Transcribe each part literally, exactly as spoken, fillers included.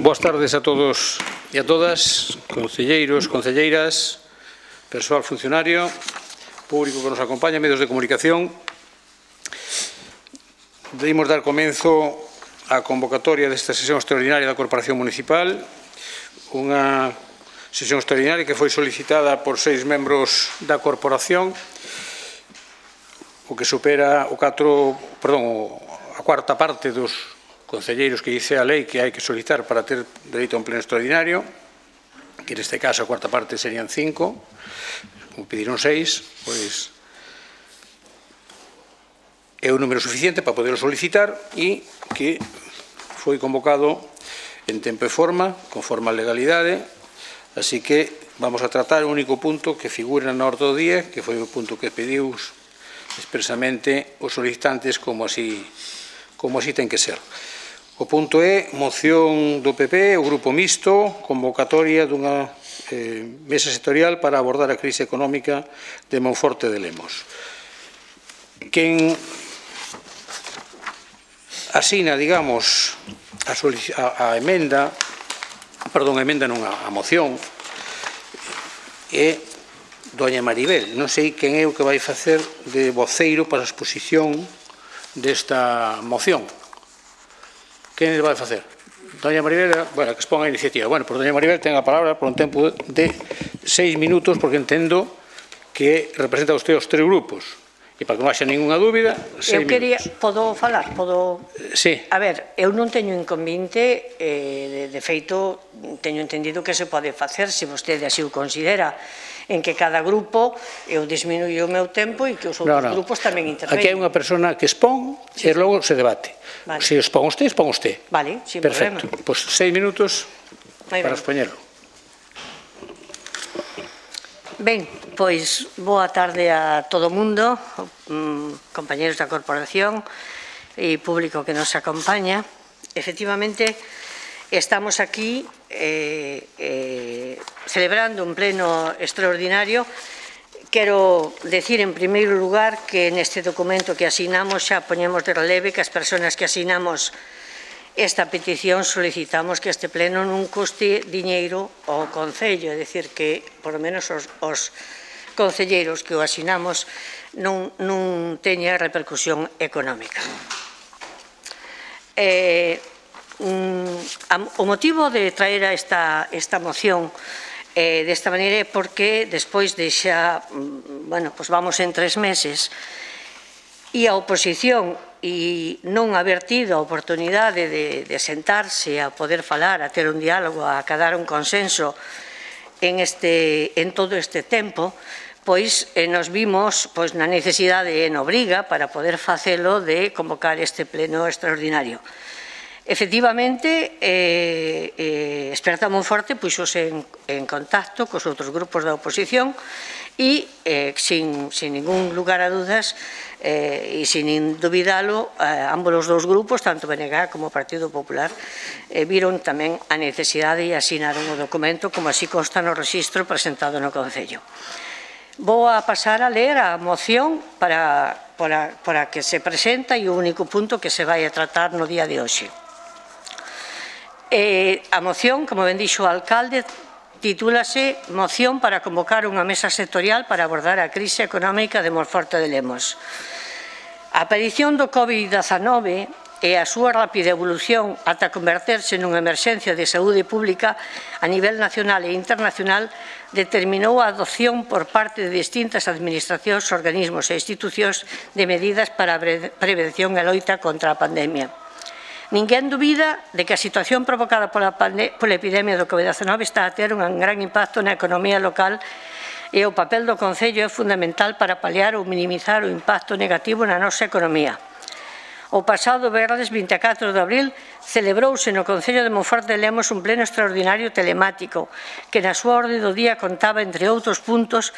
Boas tardes a todos e a todas, concelleiros, concelleiras, persoal funcionario, público que nos acompaña, medios de comunicación. Debemos dar comenzo á convocatoria desta sesión extraordinaria da Corporación Municipal, unha sesión extraordinaria que foi solicitada por seis membros da Corporación, o que supera o catro, perdón, a cuarta parte dos concelleiros que dice a lei que hai que solicitar para ter dereito a un pleno extraordinario, que neste caso a cuarta parte serían cinco, como pediron seis, pois é un número suficiente para poderlo solicitar e que foi convocado en tempo e forma, conforme a legalidade, así que vamos a tratar o único punto que figura na orde do día, que foi o punto que pediu expresamente os solicitantes como así, como así ten que ser. O punto é moción do P P, o Grupo Mixto, convocatoria dunha eh, mesa sectorial para abordar a crise económica de Monforte de Lemos. Quen asina, digamos, a, a, a emenda, perdón, a emenda non, a, a moción, é doña Maribel. Non sei quen é o que vai facer de voceiro para a exposición desta moción. Quen vai facer? Doña Maribel, bueno, que exponga a iniciativa. Bueno, pois doña Maribel ten a palabra por un tempo de seis minutos, porque entendo que representa usted os tres grupos. E para que non haxa ninguna dúbida, seis eu quería, minutos. podo falar? Podo... Sí. A ver, eu non teño inconvinte, eh, de, de feito, teño entendido que se pode facer, se vostede así o considera, en que cada grupo eu disminuyo o meu tempo e que os outros no, no. grupos tamén interveñen. Aquí hai unha persona que expón sí. e logo se debate. Vale. Se expón usted, expón usted. Vale, sin perfecto. problema. Pois pues seis minutos Ahí para ven. expoñerlo. Ben, pois boa tarde a todo o mundo, compañeros da Corporación e público que nos acompaña. Efectivamente, estamos aquí eh, eh, celebrando un pleno extraordinario. Quero decir, en primeiro lugar, que neste documento que asinamos xa poñemos de releve que as persoas que asinamos esta petición solicitamos que este pleno non custe diñeiro ao Concello, é dicir, que, por lo menos, os, os concelleiros que o asinamos non, non teña repercusión económica. Eh, o motivo de traer a esta, esta moción eh, desta maneira é porque despois de xa, bueno, pues vamos en tres meses e a oposición e non haber tido a oportunidade de, de sentarse a poder falar, a ter un diálogo, a acadar un consenso en, este, en todo este tempo, pois eh, nos vimos pois, na necesidade e na obriga para poder facelo de convocar este pleno extraordinario. Efectivamente, eh, eh, Esperanza Monforte puxose en, en contacto cos outros grupos da oposición e, eh, sin, sin ningún lugar a dudas, eh, e sin dubidalo, eh, ambos os dous grupos, tanto B N G como o Partido Popular, eh, viron tamén a necesidade e asinaron o documento, como así consta no rexistro presentado no Concello. Vou a pasar a ler a moción para, para, para que se presenta e o único punto que se vai a tratar no día de hoxe. Eh, a moción, como ben dixo o alcalde, titúlase Moción para convocar unha mesa sectorial para abordar a crise económica de Monforte de Lemos. A aparición do COVID diecinueve e a súa rápida evolución ata converterse nunha emerxencia de saúde pública a nivel nacional e internacional determinou a adopción por parte de distintas administracións, organismos e institucións de medidas para a prevención e loita contra a pandemia. Ninguén dubida de que a situación provocada pola, pola epidemia do COVID diecinueve está a ter un gran impacto na economía local e o papel do Concello é fundamental para paliar ou minimizar o impacto negativo na nosa economía. O pasado venres vinte e catro de abril celebrouse no Concello de Monforte de Lemos un pleno extraordinario telemático que na súa orde do día contaba, entre outros puntos,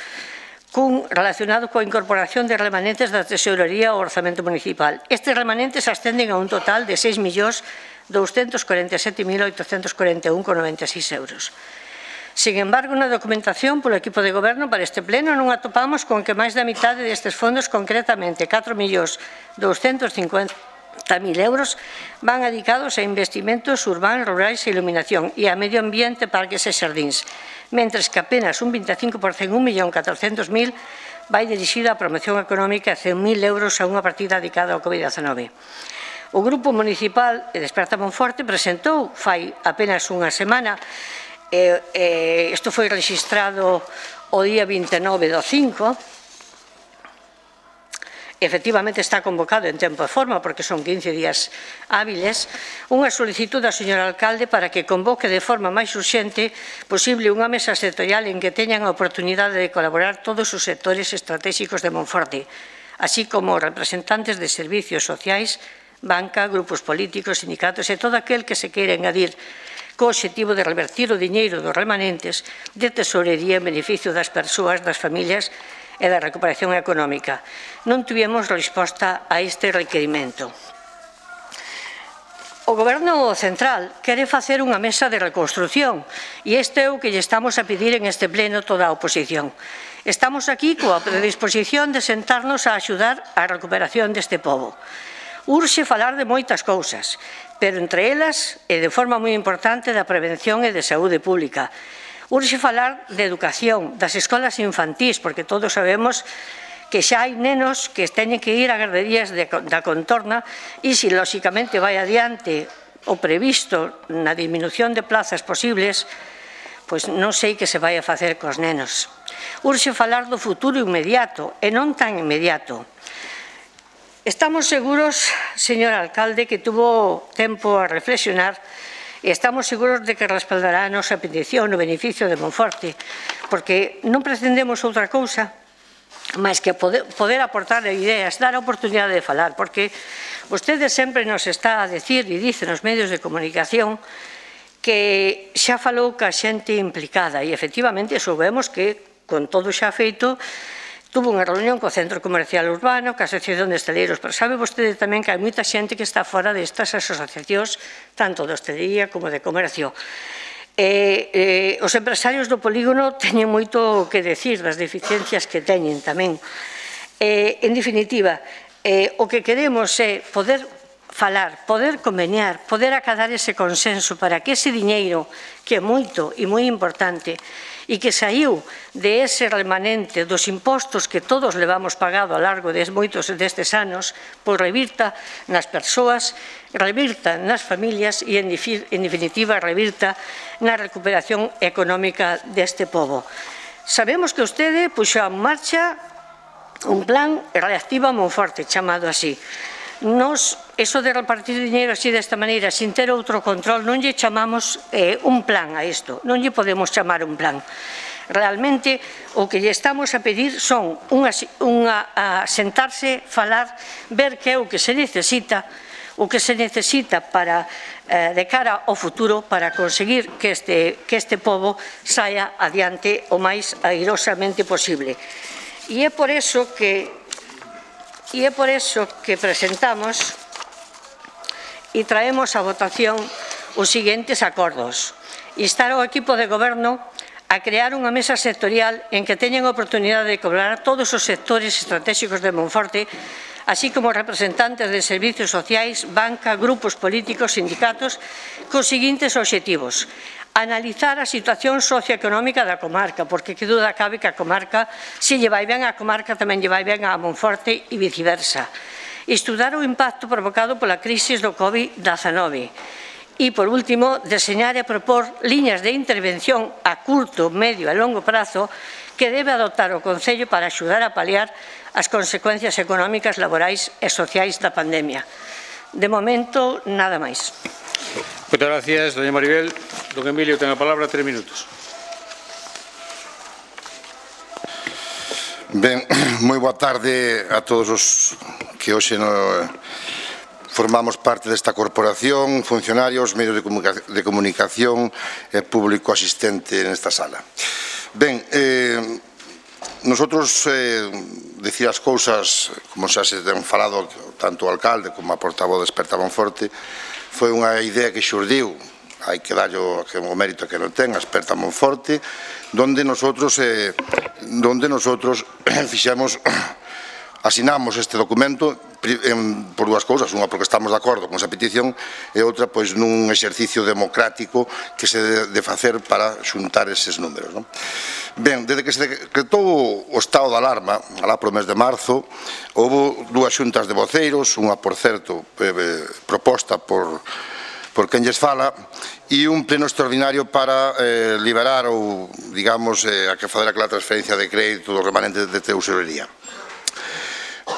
cun relacionado coa incorporación de remanentes da Tesorería ao Orzamento Municipal. Estes remanentes ascenden a un total de seis millóns douscentos corenta e sete mil oitocentos corenta e un con noventa e seis euros. Sin embargo, na documentación polo equipo de goberno para este pleno non atopamos con que máis da mitade destes fondos, concretamente catro millóns douscentos cincuenta mil euros van dedicados a investimentos urbanos, rurais e iluminación e a medio ambiente, parques e xardíns, mentres que apenas un veinticinco por cento, un millón catrocentos mil, vai dirixida á promoción económica e cen mil euros a unha partida dedicada ao COVID diecinueve. O Grupo Municipal de Desperta Monforte presentou fai apenas unha semana, e, e, isto foi registrado o día vinte e nove do cinco, efectivamente está convocado en tempo e forma porque son quince días hábiles, unha solicitud ao señor alcalde para que convoque de forma máis urxente posible unha mesa sectorial en que teñan a oportunidade de colaborar todos os sectores estratégicos de Monforte, así como representantes de servicios sociais, banca, grupos políticos, sindicatos e todo aquel que se queira engadir co obxectivo de revertir o diñeiro dos remanentes de tesorería en beneficio das persoas, das familias e da recuperación económica. Non tivemos resposta a este requerimento. O Goberno central quere facer unha mesa de reconstrucción e este é o que lle estamos a pedir en este pleno toda a oposición. Estamos aquí coa predisposición de sentarnos a axudar a recuperación deste pobo. Urxe falar de moitas cousas, pero entre elas, e de forma moi importante, da prevención e de saúde pública. Urxe falar de educación, das escolas infantís, porque todos sabemos que xa hai nenos que teñen que ir a garderías de, da contorna e se lóxicamente vai adiante o previsto na disminución de plazas posibles, pois non sei que se vai a facer cos nenos. Urxe falar do futuro inmediato e non tan inmediato. Estamos seguros, señor alcalde, que tuvo tempo a reflexionar e estamos seguros de que respaldará a nosa petición no beneficio de Monforte, porque non pretendemos outra cousa máis que poder, poder aportar ideas, dar a oportunidade de falar, porque vostede sempre nos está a decir e dice nos medios de comunicación que xa falou ca xente implicada e efectivamente soubemos que con todo xa feito tuvo unha reunión co Centro Comercial Urbano, ca Asociación de Hostaleiros, pero sabe vostede tamén que hai moita xente que está fora destas asociacións, tanto de hostelería como de comercio. Eh, eh, os empresarios do polígono teñen moito que decir das deficiencias que teñen tamén. Eh, en definitiva, eh, o que queremos é poder falar, poder conveniar, poder acadar ese consenso para que ese diñeiro, que é moito e moi importante, e que saiu de ese remanente dos impostos que todos levamos pagado ao largo de moitos destes anos, pois revirta nas persoas, revirta nas familias e, en definitiva, revirta na recuperación económica deste pobo. Sabemos que vostede puxo en marcha un plan Reactiva Monforte, chamado así. Nos, eso de repartir dinheiro así desta maneira, sin ter outro control, non lle chamamos eh, un plan a isto, non lle podemos chamar un plan. Realmente, o que lle estamos a pedir son unha, unha, a sentarse, falar, ver que é o que se necesita, o que se necesita para, eh, de cara ao futuro para conseguir que este, que este pobo saia adiante o máis airosamente posible. E é por eso que E é por eso que presentamos e traemos a votación os seguintes acordos. Instar ao equipo de goberno a crear unha mesa sectorial en que teñan a oportunidade de colaborar todos os sectores estratégicos de Monforte, así como representantes de servicios sociais, banca, grupos políticos, sindicatos, cos seguintes obxectivos. Analizar a situación socioeconómica da comarca, porque que duda cabe que a comarca, se lle vai ben a comarca, tamén lle vai ben a Monforte e viceversa. Estudar o impacto provocado pola crise do COVID diecinueve. E, por último, deseñar e propor liñas de intervención a curto, medio e longo prazo que debe adoptar o Concello para axudar a paliar as consecuencias económicas, laborais e sociais da pandemia. De momento, nada máis. Moitas gracias, doña Maribel. Don Emilio, ten a palabra, tres minutos. Ben, moi boa tarde a todos os que hoxe no, formamos parte desta corporación, funcionarios, medios de comunicación, de comunicación e público asistente nesta sala. Ben, eh, nosotros eh, decir as cousas, como xa se ten falado tanto o alcalde como a portavoz de Desperta Monforte, foi unha idea que xurdiu, hai que darlle o, o mérito que non ten, a Desperta Monforte, donde nosotros, eh, donde nosotros fixemos, asinamos este documento por dúas cousas, unha porque estamos de acordo con esa petición e outra pois nun exercicio democrático que se debe de facer para xuntar eses números. Ben, desde que se decretou o estado de alarma, alá pro mes de marzo, houve dúas xuntas de voceiros, unha, por certo, proposta por por quen lles fala, e un pleno extraordinario para eh, liberar ou, digamos, eh, a que fazer aquela transferencia de crédito do remanente de tesorería.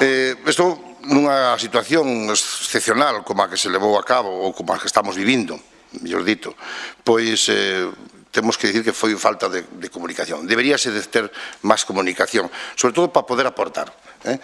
Eh, isto nunha situación excepcional como a que se levou a cabo ou como a que estamos vivindo, mellor dito, pois eh, temos que dicir que foi falta de, de comunicación. Deberíase de ter máis comunicación, sobre todo para poder aportar. Eh?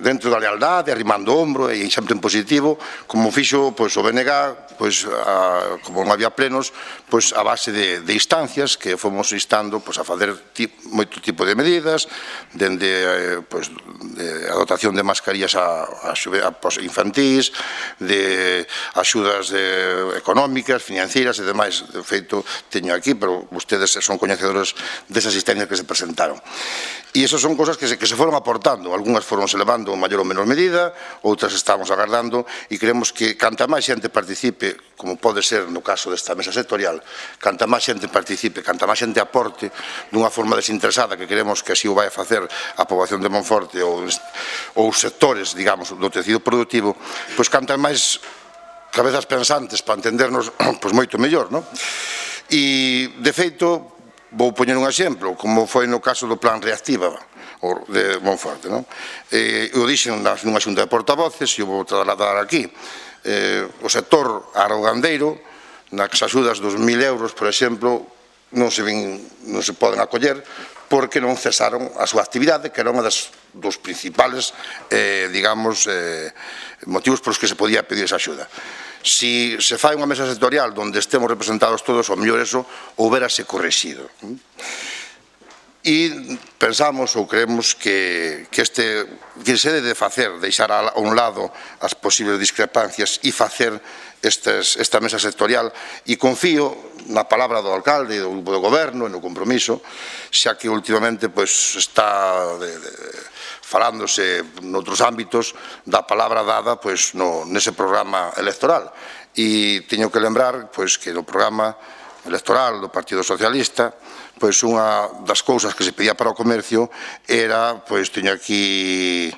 Dentro da lealdade, arrimando o ombro e sempre en positivo, como fixo pois, o B N G, pois, a, como non había plenos, pois, a base de, de instancias que fomos instando pois, a fazer tip, moito tipo de medidas, dende eh, pois, de a dotación de mascarillas a, a, a, a infantís, de axudas de, económicas, financeiras e demais. De feito, teño aquí, pero vostedes son coñecedores desas asistencias que se presentaron. E esas son cosas que se, que se foron aportando, algunhas foron se levando en maior ou menor medida, outras estamos agardando e creemos que canta máis xente participe, como pode ser no caso desta mesa sectorial, canta máis xente participe, canta máis xente aporte dunha forma desinteresada que queremos que así o vai a facer a poboación de Monforte ou, ou sectores, digamos, do tecido productivo, pois canta máis cabezas pensantes para entendernos pois moito mellor, non? E, de feito, vou poñer un exemplo, como foi no caso do Plan Reactiva de Monforte. Eu dixen nunha xunta de portavoces e o vou trasladar aquí. O sector arrogandeiro, nas axudas dos mil euros, por exemplo, non se poden acoller porque non cesaron a súa actividade, que era unha dos principales, digamos, motivos polos que se podía pedir esa axuda. Si se fai unha mesa sectorial onde estemos representados todos, o mellor eso houbérase correxido. E pensamos ou creemos que este que se debe facer, deixar a un lado as posibles discrepancias e facer esta mesa sectorial, e confío na palabra do alcalde e do grupo de goberno e no compromiso, xa que últimamente está falándose noutros ámbitos da palabra dada nese programa electoral. E teño que lembrar que no programa electoral do Partido Socialista, pois unha das cousas que se pedía para o comercio era, pois teño aquí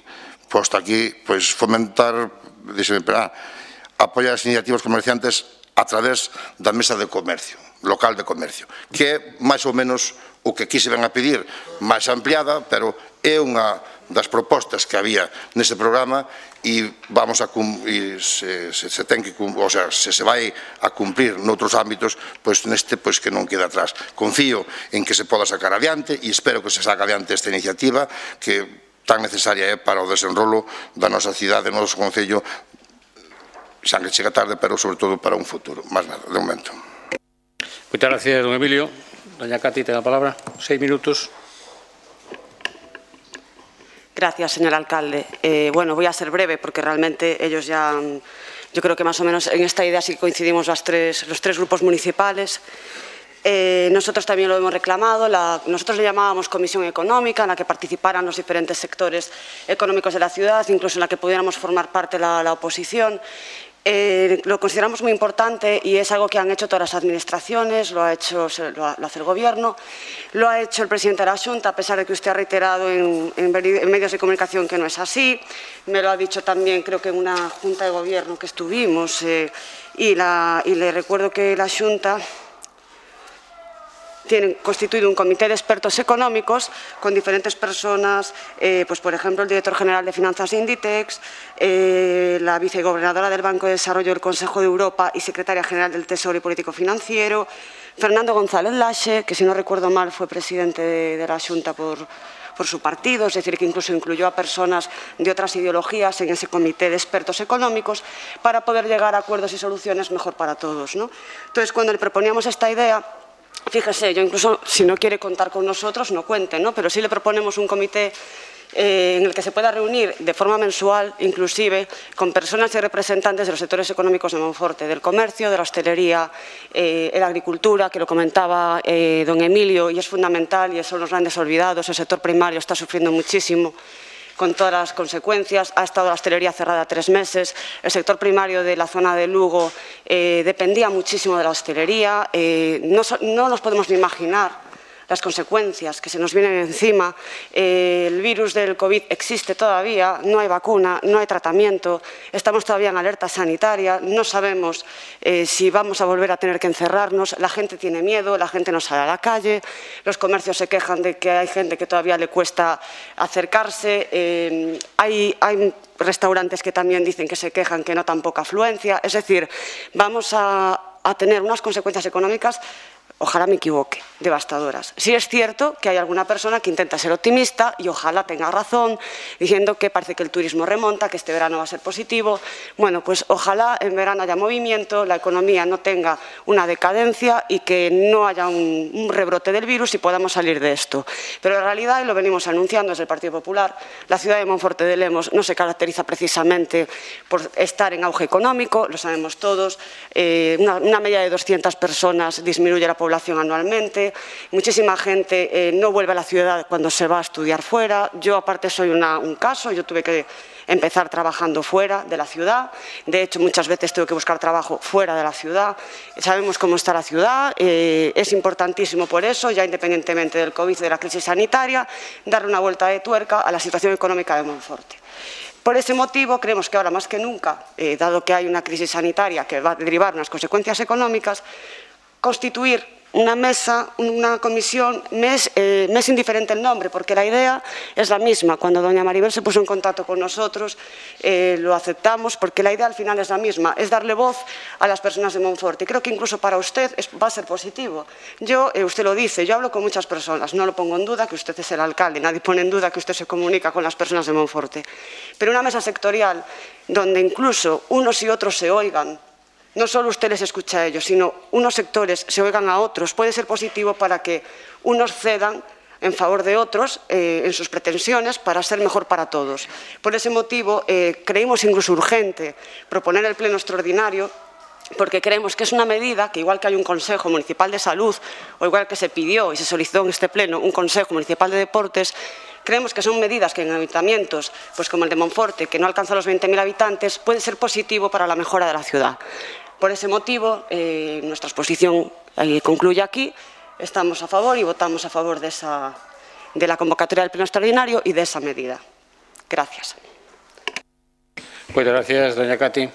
posto aquí, pois fomentar, díxeme, apoiar as iniciativas comerciantes a través da mesa de comercio, local de comercio, que é máis ou menos o que aquí se ven a pedir, máis ampliada, pero é unha das propostas que había nese programa e vamos a cumprir, se se ten que, o sea, se se vai a cumprir noutros ámbitos, pois neste pois que non queda atrás. Confío en que se poda sacar adiante e espero que se saca adiante esta iniciativa que tan necesaria é para o desenrolo da nosa cidade, do noso concello, xa que chega tarde, pero sobre todo para un futuro. Más nada, de momento. Moitas gracias, don Emilio. Doña Cati, ten a palabra. Seis minutos. Gracias, señor alcalde. Eh, bueno, voy a ser breve porque realmente ellos ya, yo creo que más o menos en esta idea sí coincidimos las tres, los tres grupos municipales. Eh, nosotros también lo hemos reclamado, la, nosotros le llamábamos Comisión Económica, en la que participaran los diferentes sectores económicos de la ciudad, incluso en la que pudiéramos formar parte la, la oposición. Eh, lo consideramos muy importante y es algo que han hecho todas las administraciones, lo, ha hecho, lo, ha, lo hace el Gobierno, lo ha hecho el presidente de la Xunta, a pesar de que usted ha reiterado en, en, en medios de comunicación que no es así. Me lo ha dicho también, creo que en una Junta de Gobierno que estuvimos, eh, y, la, y le recuerdo que la Xunta tienen constituido un comité de expertos económicos con diferentes personas, eh, pues por ejemplo el director general de finanzas de Inditex, eh, la vicegobernadora del Banco de Desarrollo del Consejo de Europa y secretaria general del Tesoro y Político Financiero, Fernando González Laxe, que si no recuerdo mal fue presidente de, de la Xunta por, por su partido, es decir, que incluso incluyó a personas de otras ideologías en ese comité de expertos económicos para poder llegar a acuerdos y soluciones mejor para todos, ¿no? Entonces, cuando le proponíamos esta idea, fíjese, yo incluso, si no quiere contar con nosotros, no cuente, ¿no? Pero sí le proponemos un comité eh, en el que se pueda reunir de forma mensual, inclusive, con personas y representantes de los sectores económicos de Monforte, del comercio, de la hostelería, eh, la agricultura, que lo comentaba eh, don Emilio, y es fundamental, y son los grandes olvidados, el sector primario está sufriendo muchísimo. con todas las consecuencias. Ha estado la hostelería cerrada tres meses. El sector primario de la zona de Lugo eh, dependía muchísimo de la hostelería. Eh, no, no nos podemos ni imaginar las consecuencias que se nos vienen encima. Eh, el virus del COVID existe todavía, no hay vacuna, no hay tratamiento, estamos todavía en alerta sanitaria, no sabemos eh, si vamos a volver a tener que encerrarnos, la gente tiene miedo, la gente no sale a la calle, los comercios se quejan de que hay gente que todavía le cuesta acercarse, eh, hay, hay restaurantes que también dicen que se quejan que notan poca afluencia, es decir, vamos a, a tener unas consecuencias económicas, ojalá me equivoque, devastadoras. Sí es cierto que hay alguna persona que intenta ser optimista y ojalá tenga razón, diciendo que parece que el turismo remonta, que este verano va a ser positivo. Bueno, pues ojalá en verano haya movimiento, la economía no tenga una decadencia y que no haya un, un rebrote del virus y podamos salir de esto. Pero en realidad, y lo venimos anunciando desde el Partido Popular, la ciudad de Monforte de Lemos no se caracteriza precisamente por estar en auge económico, lo sabemos todos, eh, una, una media de doscientas personas disminuye la población anualmente, muchísima gente eh, no vuelve a la ciudad cuando se va a estudiar fuera. Yo aparte soy una, un caso, yo tuve que empezar trabajando fuera de la ciudad, de hecho muchas veces tengo que buscar trabajo fuera de la ciudad, sabemos cómo está la ciudad, eh, es importantísimo por eso, ya independientemente del COVID y de la crisis sanitaria, darle una vuelta de tuerca a la situación económica de Monforte. Por ese motivo, creemos que ahora más que nunca, eh, dado que hay una crisis sanitaria que va a derivar unas consecuencias económicas, constituir una mesa, una comisión, me es, eh, me es indiferente el nombre, porque la idea es la misma. Cuando doña Maribel se puso en contacto con nosotros, eh, lo aceptamos, porque la idea al final es la misma, es darle voz a las personas de Monforte. Y creo que incluso para usted es, va a ser positivo. Yo, eh, usted lo dice, yo hablo con muchas personas, no lo pongo en duda que usted es el alcalde, nadie pone en duda que usted se comunica con las personas de Monforte. Pero una mesa sectorial donde incluso unos y otros se oigan, no solo usted les escucha a ellos, sino unos sectores se oigan a otros, puede ser positivo para que unos cedan en favor de otros eh, en sus pretensiones para ser mejor para todos. Por ese motivo, eh, creímos incluso urgente proponer el pleno extraordinario, porque creemos que es una medida que, igual que hay un Consejo Municipal de Salud, o igual que se pidió y se solicitó en este pleno un Consejo Municipal de Deportes, creemos que son medidas que en ayuntamientos, pues como el de Monforte, que no alcanza los veinte mil habitantes, puede ser positivo para la mejora de la ciudad. Por ese motivo, eh, nuestra exposición eh, concluye aquí. Estamos a favor y votamos a favor de, esa, de la convocatoria del pleno extraordinario y de esa medida. Gracias. Muchas gracias, doña Cati.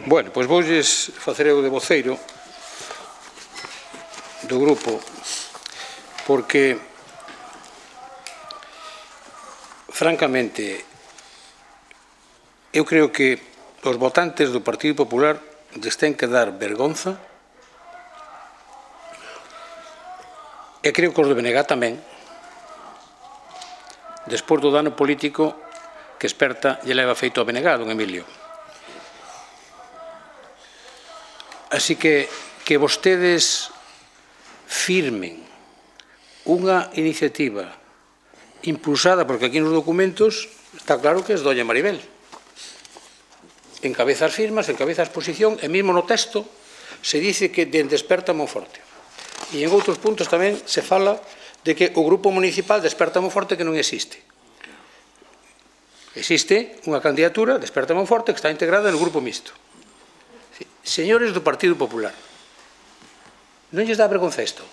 Bueno, pois voulles facer eu de voceiro do grupo, porque francamente eu creo que os votantes do Partido Popular lles ten que dar vergonza, e creo que os de B N G tamén, despois do dano político que Experta lle leva feito a B N G, don Emilio. Así que que vostedes firmen unha iniciativa impulsada, porque aquí nos documentos está claro que es doña Maribel. Encabeza as firmas, encabeza a exposición, e mesmo no texto se dice que dende Experta Monforte. E en outros puntos tamén se fala de que o grupo municipal de Experta Monforte que non existe. Existe unha candidatura de Experta Monforte que está integrada no grupo mixto. Señores do Partido Popular, non lles dá vergonza isto?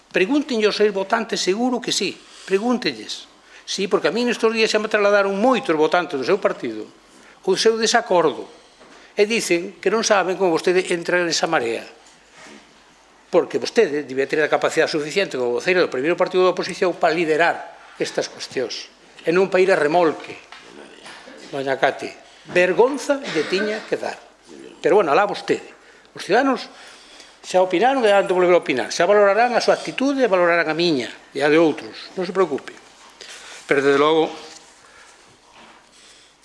Pregúntenlle aos seus votantes, seguro que sí, pregúntenlles. Sí, porque a mí nestes días xa me trasladaron moitos votantes do seu partido o seu desacordo e dicen que non saben como vostede entra nesa marea, porque vostede debía ter a capacidade suficiente como voceiro do primeiro partido da oposición para liderar estas cuestións e non para ir a remolque. Doña Cati, vergonza lle tiña que dar. Pero, bueno, alá vostede. Os ciudadanos xa opinaron e han de volver a opinar. Xa valorarán a súa actitude e valorarán a miña e a de outros. Non se preocupe. Pero, desde logo,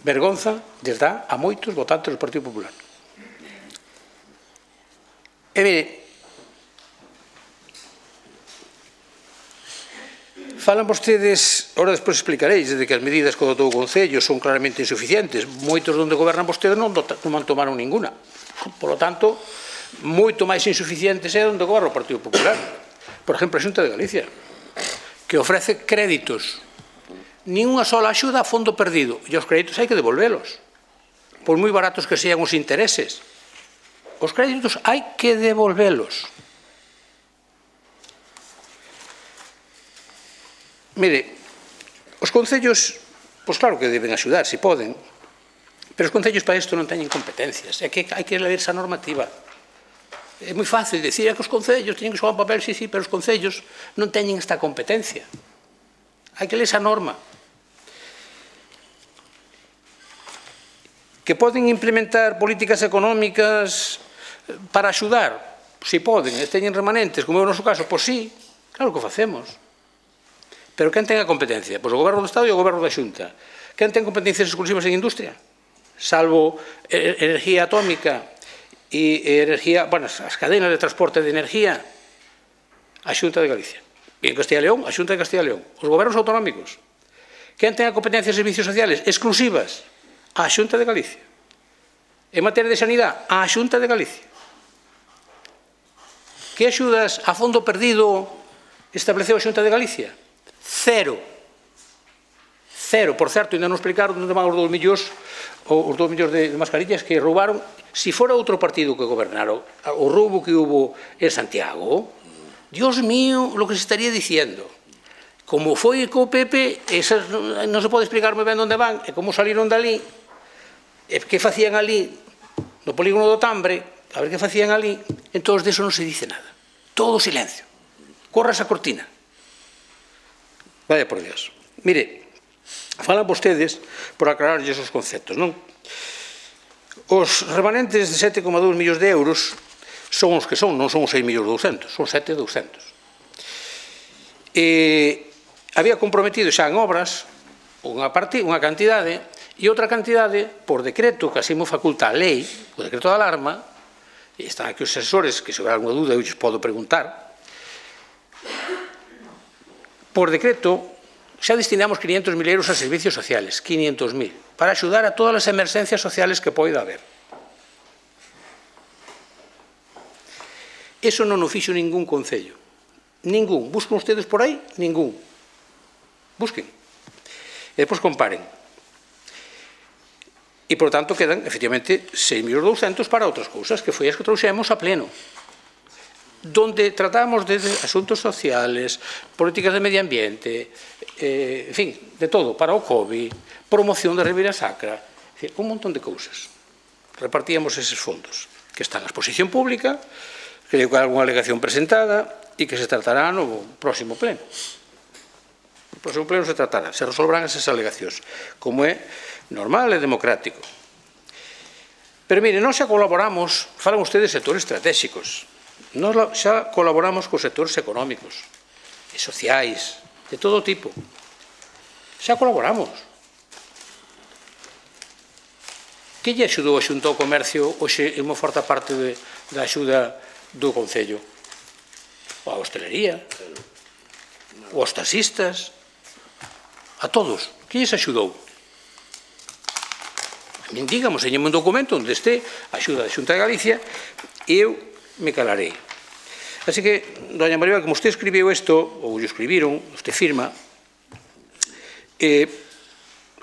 vergonza lles dá a moitos votantes do Partido Popular. E, mire, falan vostedes, ahora despois explicaréis, de que as medidas que adotou o Concello son claramente insuficientes. Moitos donde gobernan vostedes non, non tomaron ninguna. Por lo tanto, moito máis insuficientes é onde goberna o Partido Popular. Por exemplo, a Xunta de Galicia, que ofrece créditos, nin unha sola axuda a fondo perdido, e os créditos hai que devolvelos, por moi baratos que sean os intereses. Os créditos hai que devolvelos. Mire, os concellos, pois claro que deben axudar, se poden, pero os concellos para isto non teñen competencias, é que hai que ler esa normativa. É moi fácil dicir que os concellos teñen que xogar un papel, sí, sí, pero os concellos non teñen esta competencia. Hai que ler esa norma. Que poden implementar políticas económicas para axudar? Si poden, e teñen remanentes, como é o noso caso, pois sí, claro que o facemos. Pero quen ten a competencia? Pois o Goberno do Estado e o Goberno da Xunta. Quen ten competencias exclusivas en industria? Salvo energía atómica e energía, bueno, as cadenas de transporte de energía, a Xunta de Galicia. E en Castilla e León, a Xunta de Castilla e León. Os gobernos autonómicos. Quen ten a competencia de servicios sociales exclusivas? A Xunta de Galicia. En materia de sanidade, a Xunta de Galicia. Que axudas a fondo perdido estableceu a Xunta de Galicia? Cero. Cero. Por certo, ainda non explicaron onde van os dous millóns, os dous millóns de mascarillas que roubaron. Si fora outro partido que gobernaron, o roubo que hubo en Santiago, Dios mío, lo que se estaría diciendo. Como foi co P P, esas non se pode explicar moi ben onde van, e como salieron dali, e que facían ali, no polígono do Tambre, a ver que facían ali, entón de eso non se dice nada. Todo silencio. Corra esa cortina. Vaya por Dios. Mire, falan vostedes por aclararlles os conceptos, non? Os remanentes de sete coma dous millóns de euros son os que son, non son os seis millóns douscentos, son sete millóns douscentos. E había comprometido xa en obras unha, parte, unha cantidade e outra cantidade por decreto, que así mo faculta a lei, o decreto de alarma, e están aquí os asesores, que se houver alguna dúda eu lles podo preguntar. Por decreto, xa destinamos quinientos mil euros a servicios sociales, quinientos mil, para axudar a todas as emerxencias sociales que poida haber. Eso non o fixo ningún concello. Ningún. Buscan ustedes por aí? Ningún. Busquen. E depois comparen. E, por tanto, quedan, efectivamente, seis millóns douscentos para outras cousas, que foi as que trouxemos a pleno, donde tratamos de asuntos sociales, políticas de medio ambiente, eh, en fin, de todo, para o COVID, promoción da Ribeira Sacra, un montón de cousas. Repartíamos eses fondos, que están a exposición pública, que hai algunha alegación presentada e que se tratará no próximo pleno. No próximo pleno se tratará, se resolverán esas alegacións, como é normal e democrático. Pero, mire, non xa colaboramos, falan ustedes de sectores estratégicos, Nos xa colaboramos cos sectores económicos e sociais, de todo tipo. Xa colaboramos. Que lle axudou a Xunta ao Comercio hoxe en unha forte parte de, da axuda do Concello? A hostelería, os taxistas, a todos. Que lles axudou? A min, digamos, enñeme un documento onde este a axuda da Xunta de Galicia e eu me calarei. Así que, doña Maribel, como usted escribiu isto, ou lle escribiron, usted firma, eh,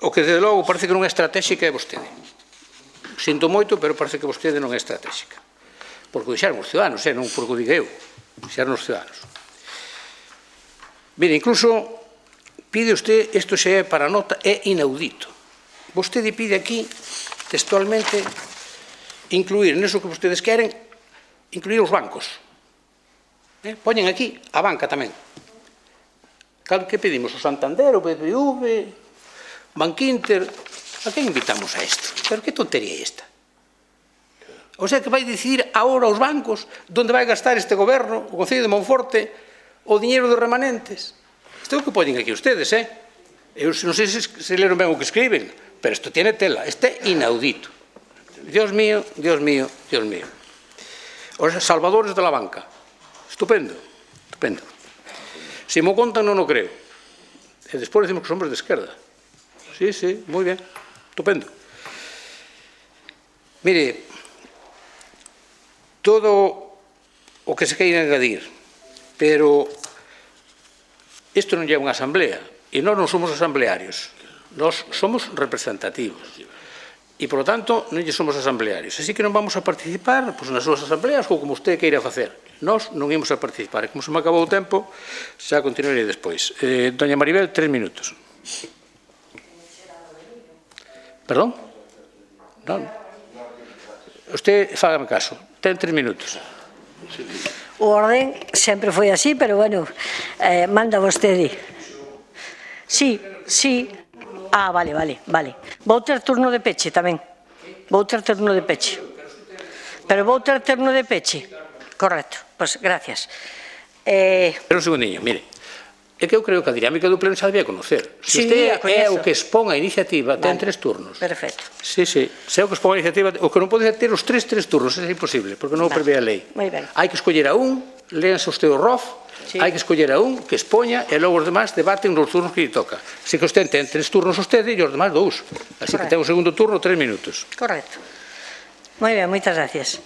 o que, desde logo, parece que non é estratégica é vostede. Sinto moito, pero parece que vostede non é estratégica. Porque o dixeron os ciudadanos, eh, non porque o diga eu, dixeron os ciudadanos. Mire, incluso, pide usted, isto xa é para nota, é inaudito. Vostede pide aquí, textualmente, incluir neso que vostedes queren, incluir os bancos. Eh? Poñen aquí a banca tamén. Que pedimos? O Santander, o B B V, Bankinter. A que invitamos a isto? Pero que tontería é esta? O sea, que vai decidir agora os bancos onde vai gastar este goberno, o Concello de Monforte, o diñeiro dos remanentes. Isto é o que poñen aquí ustedes, eh? Eu non sei se, se leron ben o que escriben, pero isto tiene tela. Este é inaudito. Dios mío, Dios mío, Dios mío. Os salvadores de la banca. Estupendo, estupendo. Se mo contan non o creo. E despois decimos que somos de esquerda. Sí, sí, moi ben, estupendo. Mire, todo o que se queira engadir pero isto non é unha asamblea, e nós non somos asamblearios, nós somos representativos. E, por lo tanto, non lle somos asamblearios. Así que non vamos a participar pois, nas súas asambleas ou como usted queira facer. Nós non imos a participar. E como se me acabou o tempo, xa continuarei despois. Eh, doña Maribel, tres minutos. Perdón? Non? Usted, fágame caso. Ten tres minutos. O orden sempre foi así, pero, bueno, eh, manda vostede. Sí, sí. Ah, vale, vale, vale. Vou ter turno de peche tamén. Vou ter turno de peche. Pero vou ter turno de peche. Correcto. Pois, gracias. Eh... Pero un segundinho, mire. É que eu creo que a dinámica do pleno xa debía conocer. Se Sí, usted a coñezo. é o que expón a iniciativa, ten Vale. tres turnos. Perfecto. Sí, sí. Se é o que expón a iniciativa, o que non pode ter os tres, tres turnos, é imposible, porque non o Vale. prevé a lei. Moi ben. Hai que escoller a un, léanse usted o R O F, Sí. hai que escoller a un que expoña e logo os demás debaten nos turnos que lle toca. Se que usted ten tres turnos usted e os demás dous. Así que Correcto. ten o segundo turno tres minutos. Correcto. Moi ben, moitas gracias.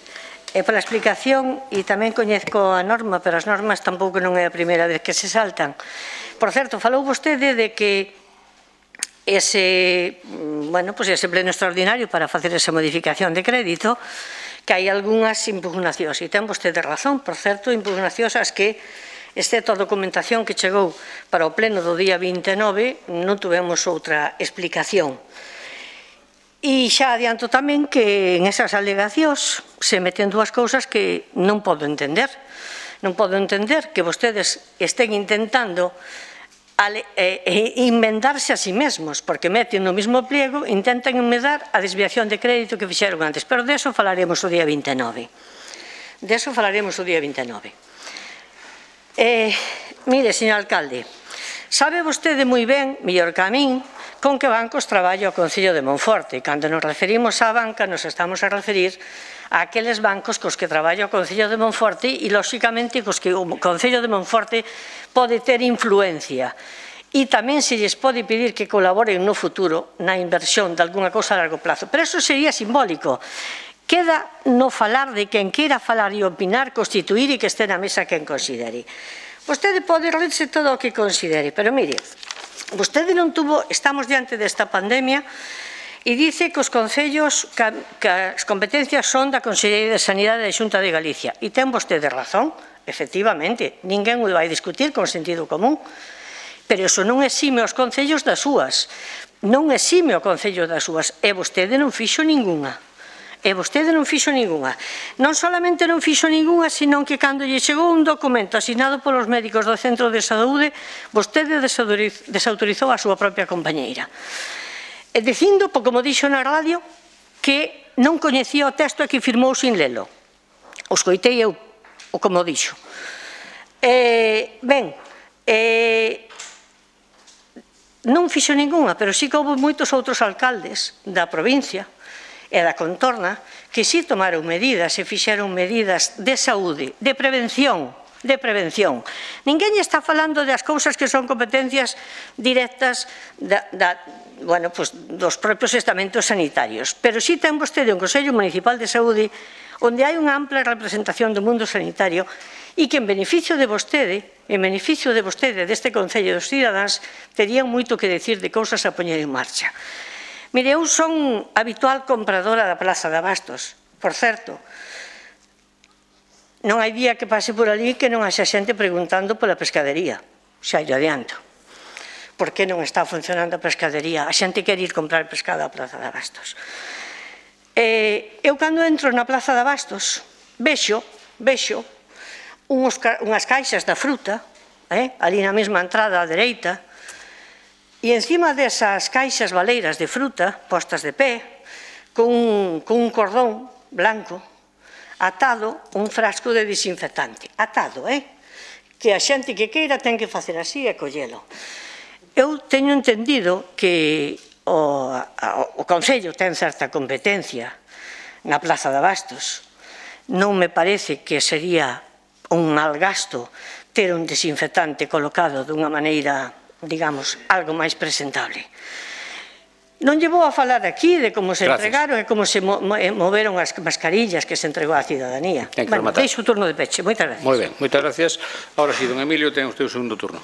E pola explicación, e tamén coñezco a norma, pero as normas tampouco non é a primeira vez que se saltan. Por certo, falou vostede de que ese, bueno, pues ese pleno extraordinario para facer esa modificación de crédito, que hai algunhas impugnacións, e ten vostede razón, por certo, impugnacións as que, excepto a documentación que chegou para o pleno do día vinte e nove, non tuvemos outra explicación. E xa adianto tamén que en esas alegacións se meten dúas cousas que non podo entender. Non podo entender que vostedes estén intentando Ale, eh, eh, inventarse a sí mesmos, porque meten no mismo pliego, intentan enmendar a desviación de crédito que fixeron antes, pero deso falaremos o día vinte e nove. Deso falaremos o día vinte e nove. Eh, mire, señor alcalde, sabe vostede moi ben, mellor que a min, con que bancos traballa o Concello de Monforte. Cando nos referimos á banca, nos estamos a referir a aqueles bancos cos que traballa o Concello de Monforte e, lóxicamente, cos que o Concello de Monforte pode ter influencia. E tamén se lles pode pedir que colaboren no futuro na inversión de alguna cousa a largo plazo. Pero eso sería simbólico. Queda no falar de quen queira falar e opinar, constituir e que este na mesa quen considere. Vostede pode rirse todo o que considere, pero mire, vostede non tuvo, estamos diante desta pandemia e dice que os concellos, que as competencias son da Consellería de Sanidade da Xunta de Galicia. E ten vostede razón, efectivamente, ninguén o vai discutir con sentido común, pero iso non exime os concellos das súas, non exime o concello das súas, e vostede non fixo ningunha. E vostede non fixo ningunha. Non solamente non fixo ningunha, senón que cando lle chegou un documento asinado polos médicos do Centro de Saúde, vostede desautorizou a súa propia compañeira. E dicindo, como dixo na radio, que non coñecía o texto e que firmou sin lelo. O escoitei eu, o como dixo. Eh, ben, eh, non fixo ningunha, pero sí que houve moitos outros alcaldes da provincia e da contorna que si tomaron medidas e fixeron medidas de saúde, de prevención, de prevención. Ninguén está falando das cousas que son competencias directas da, da, bueno, pues, dos propios estamentos sanitarios, pero si ten vostede un Consello Municipal de Saúde onde hai unha ampla representación do mundo sanitario e que en beneficio de vostede, en beneficio de vostede deste Concello dos Cidadáns, terían moito que decir de cousas a poñer en marcha. Mire, eu son habitual compradora da Plaza de Abastos. Por certo, non hai día que pase por ali que non haxa xente preguntando pola pescadería. Xa lle adianto. Por que non está funcionando a pescadería? A xente quer ir comprar pescado á Plaza de Abastos. Eh, eu cando entro na Plaza de Abastos vexo, vexo uns, unhas caixas da fruta, eh, ali na mesma entrada á dereita, e encima desas caixas baleiras de fruta, postas de pé, con, con un cordón blanco, atado un frasco de desinfectante. Atado, eh? Que a xente que queira ten que facer así e collelo. Eu teño entendido que o, o Concello ten certa competencia na Plaza de Abastos. Non me parece que sería un mal gasto ter un desinfectante colocado dunha maneira, digamos, algo máis presentable. Non lle vou a falar aquí de como se Gracias. entregaron e como se mo moveron as mascarillas que se entregou á cidadanía. Ten que Bueno, rematar. deixo o turno de peche. Moitas gracias. Moi ben, moitas gracias. Ahora sí, don Emilio, ten usted o segundo turno.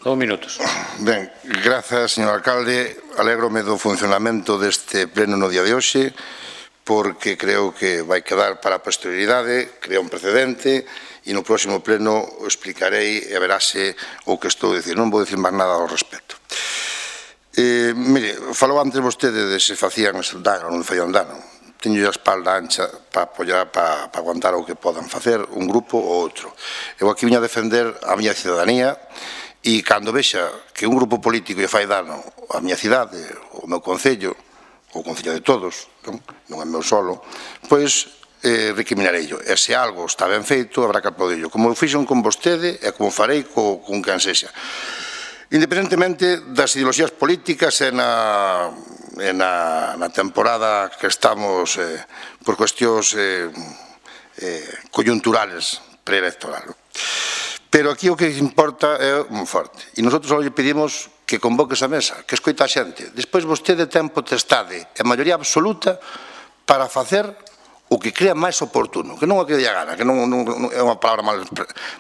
Dos minutos. Ben, grazas, señor alcalde. Alégrome do funcionamento deste pleno no día de hoxe, porque creo que vai quedar para a posterioridade, crea un precedente, e no próximo pleno o explicarei e verase o que estou a dicir. Non vou dicir máis nada ao respecto. Eh, mire, falou antes vostede de se facían dano ou non facían dano. Teño a espalda ancha para apoiar, para, para aguantar o que podan facer un grupo ou outro. Eu aquí viña a defender a miña cidadanía e cando vexa que un grupo político lle fai dano á miña cidade, ao meu concello, ou o concello de todos, non, non é meu solo, pois eh, recriminarello. E se algo está ben feito, habrá que aplaudirlo. Como fixon con vostede e como farei co, con quen sexa. Independentemente das ideoloxías políticas e na, e na, na temporada que estamos eh, por cuestións eh, eh, coyunturales preelectoral. Pero aquí o que importa é un forte. E nosotros só lle pedimos que convoque esa mesa, que escoita a xente. Despois vostede ten potestade e maioría absoluta para facer o que crea máis oportuno, que non o que lle gana, que non, non, non é unha palabra mal,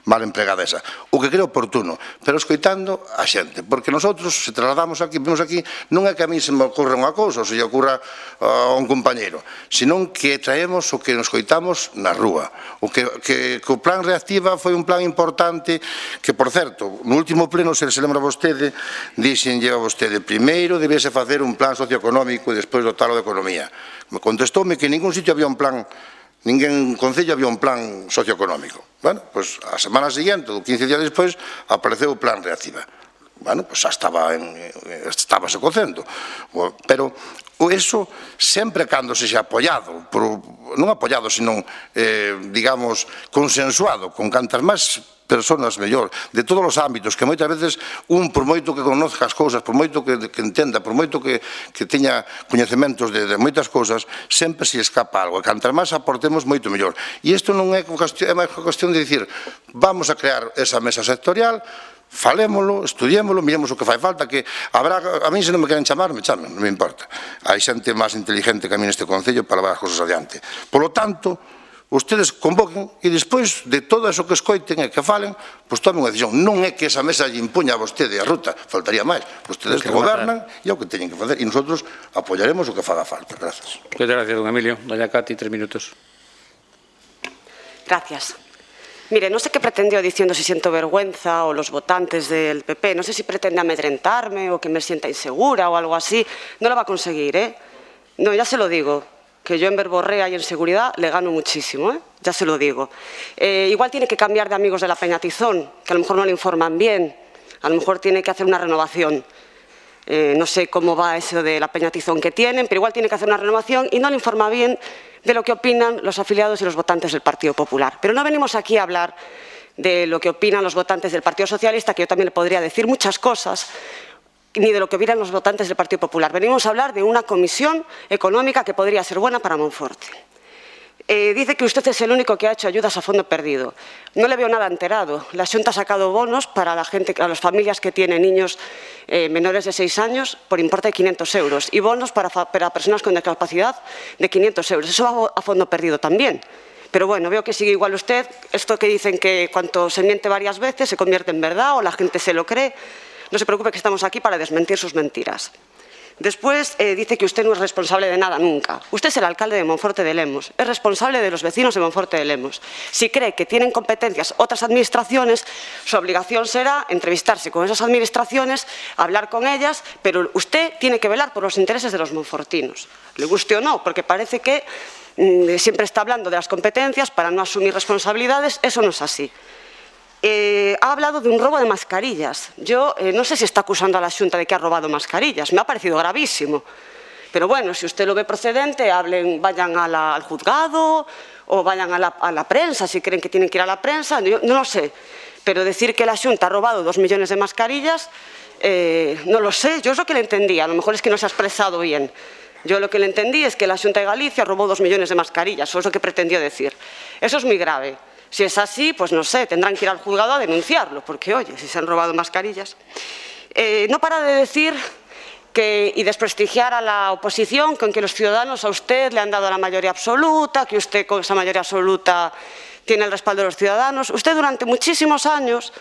mal empregada esa, o que crea oportuno, pero escoitando a xente, porque nosotros, se trasladamos aquí, vimos aquí, non é que a mí se me ocorre unha cousa, ou se lle ocurra a un compañeiro, senón que traemos o que nos escoitamos na rúa, o que, que, que o plan reactiva foi un plan importante, que, por certo, no último pleno, se se lembra vostede, dixenlle a vostede, primeiro debese facer un plan socioeconómico e despois dotalo de economía. Me contestoume que en ningún sitio había un plan, ningún concello había un plan socioeconómico. Bueno, pois a semana seguinte, ou quince días despois, apareceu o plan reactiva. Bueno, pois xa estaba en, estábase cocendo. Pero eso sempre cando se xa apoiado, por, non apoiado, sino, eh, digamos, consensuado, con cantas máis personas mellor, de todos os ámbitos, que moitas veces un, por moito que conozca as cousas, por moito que, que entenda, por moito que, que teña coñecementos de, de moitas cousas, sempre se escapa algo, e cantas máis aportemos moito mellor. E isto non é cuestión, é máis cuestión de dicir, vamos a crear esa mesa sectorial, falémolo, estudiémolo, miremos o que fai falta, que habrá, a mí se non me queren chamar, me chamen, non me importa. Hai xente máis inteligente que a mí neste concello para levar as cousas adiante. Por lo tanto, ustedes convoquen e despois de todo eso que escoiten e que falen, pois tomen unha decisión. Non é que esa mesa lle impuña a vostede a ruta, faltaría máis. Ustedes que gobernan e é o que teñen que facer e nosotros apoiaremos o que faga falta. Grazas. Moitas gracias, don Emilio. Doña Cati, tres minutos. Gracias. Mire, non sei que pretendió diciendo si siento vergüenza o los votantes del P P. Non sei si pretende amedrentarme o que me sienta insegura o algo así. Non lo va a conseguir, ¿eh? No, ya se lo digo. Que yo en verborrea y en seguridad le gano muchísimo, ¿eh? Ya se lo digo. Eh, igual tiene que cambiar de amigos de la Peña Tizón, que a lo mejor no le informan bien, a lo mejor tiene que hacer una renovación. Eh, no sé cómo va eso de la Peña Tizón que tienen, pero igual tiene que hacer una renovación y no le informa bien de lo que opinan los afiliados y los votantes del Partido Popular. Pero no venimos aquí a hablar de lo que opinan los votantes del Partido Socialista, que yo también le podría decir muchas cosas, ni de lo que opinan los votantes del Partido Popular. Venimos a hablar de una comisión económica que podría ser buena para Monforte. Eh, dice que usted es el único que ha hecho ayudas a fondo perdido. No le veo nada enterado. La Xunta ha sacado bonos para la gente, a las familias que tienen niños eh, menores de seis años por importe de quinientos euros y bonos para, para personas con discapacidad de quinientos euros. Eso va a fondo perdido también. Pero bueno, veo que sigue igual usted. Esto que dicen que cuando se miente varias veces se convierte en verdad o la gente se lo cree. No se preocupe que estamos aquí para desmentir sus mentiras. Después eh, dice que usted no es responsable de nada nunca. Usted es el alcalde de Monforte de Lemos, es responsable de los vecinos de Monforte de Lemos. Si cree que tienen competencias otras administraciones, su obligación será entrevistarse con esas administraciones, hablar con ellas, pero usted tiene que velar por los intereses de los monfortinos. Le guste o no, porque parece que mmm, siempre está hablando de las competencias para no asumir responsabilidades. Eso no es así. Eh, ha hablado de un robo de mascarillas. Yo eh, no sé si está acusando a la Xunta de que ha robado mascarillas. Me ha parecido gravísimo. Pero bueno, si usted lo ve procedente, hablen, vayan a la, al juzgado o vayan a la, a la prensa, si creen que tienen que ir a la prensa. Yo no lo sé. Pero decir que la Xunta ha robado dos millones de mascarillas, eh, no lo sé. Yo es lo que le entendía. A lo mejor es que no se ha expresado bien. Yo lo que le entendí es que la Xunta de Galicia robó dos millones de mascarillas. Eso es lo que pretendió decir. Eso es muy grave. Si es así, pues no sé, tendrán que ir al juzgado a denunciarlo, porque oye, si se han robado mascarillas. Eh, no para de decir que, y desprestigiar a la oposición con que los ciudadanos a usted le han dado la mayoría absoluta, que usted con esa mayoría absoluta tiene el respaldo de los ciudadanos. Usted durante muchísimos años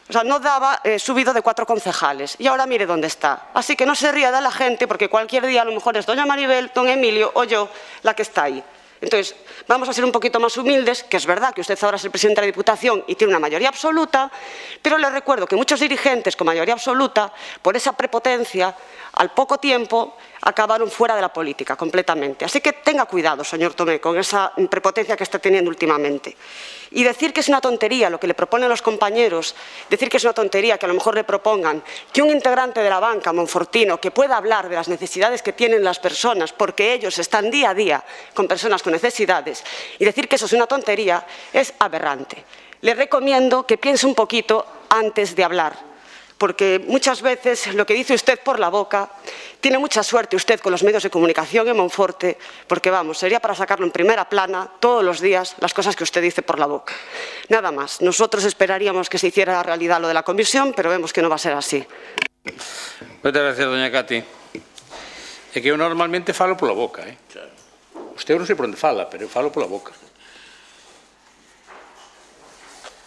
o sea, no daba eh, subido de cuatro concejales y ahora mire dónde está. Así que no se ría de la gente porque cualquier día a lo mejor es doña Maribel, don Emilio o yo la que está ahí. Entonces, vamos a ser un poquito más humildes, que es verdad que usted ahora es el presidente de la Diputación y tiene una mayoría absoluta, pero le recuerdo que muchos dirigentes con mayoría absoluta, por esa prepotencia, al poco tiempo acabaron fuera de la política completamente. Así que tenga cuidado, señor Tomé, con esa prepotencia que está teniendo últimamente. Y decir que es una tontería lo que le proponen los compañeros, decir que es una tontería que a lo mejor le propongan que un integrante de la banca monfortino que pueda hablar de las necesidades que tienen las personas, porque ellos están día a día con personas con necesidades, y decir que eso es una tontería es aberrante. Le recomiendo que piense un poquito antes de hablar, porque muchas veces lo que dice usted por la boca, tiene mucha suerte usted con los medios de comunicación en Monforte, porque vamos, sería para sacarlo en primera plana todos los días las cosas que usted dice por la boca. Nada más, nosotros esperaríamos que se hiciera realidad lo de la comisión, pero vemos que no va a ser así. Muchas gracias, doña Cati. É que eu normalmente falo pola boca, eh? Usted non sei por onde fala, pero eu falo pola boca.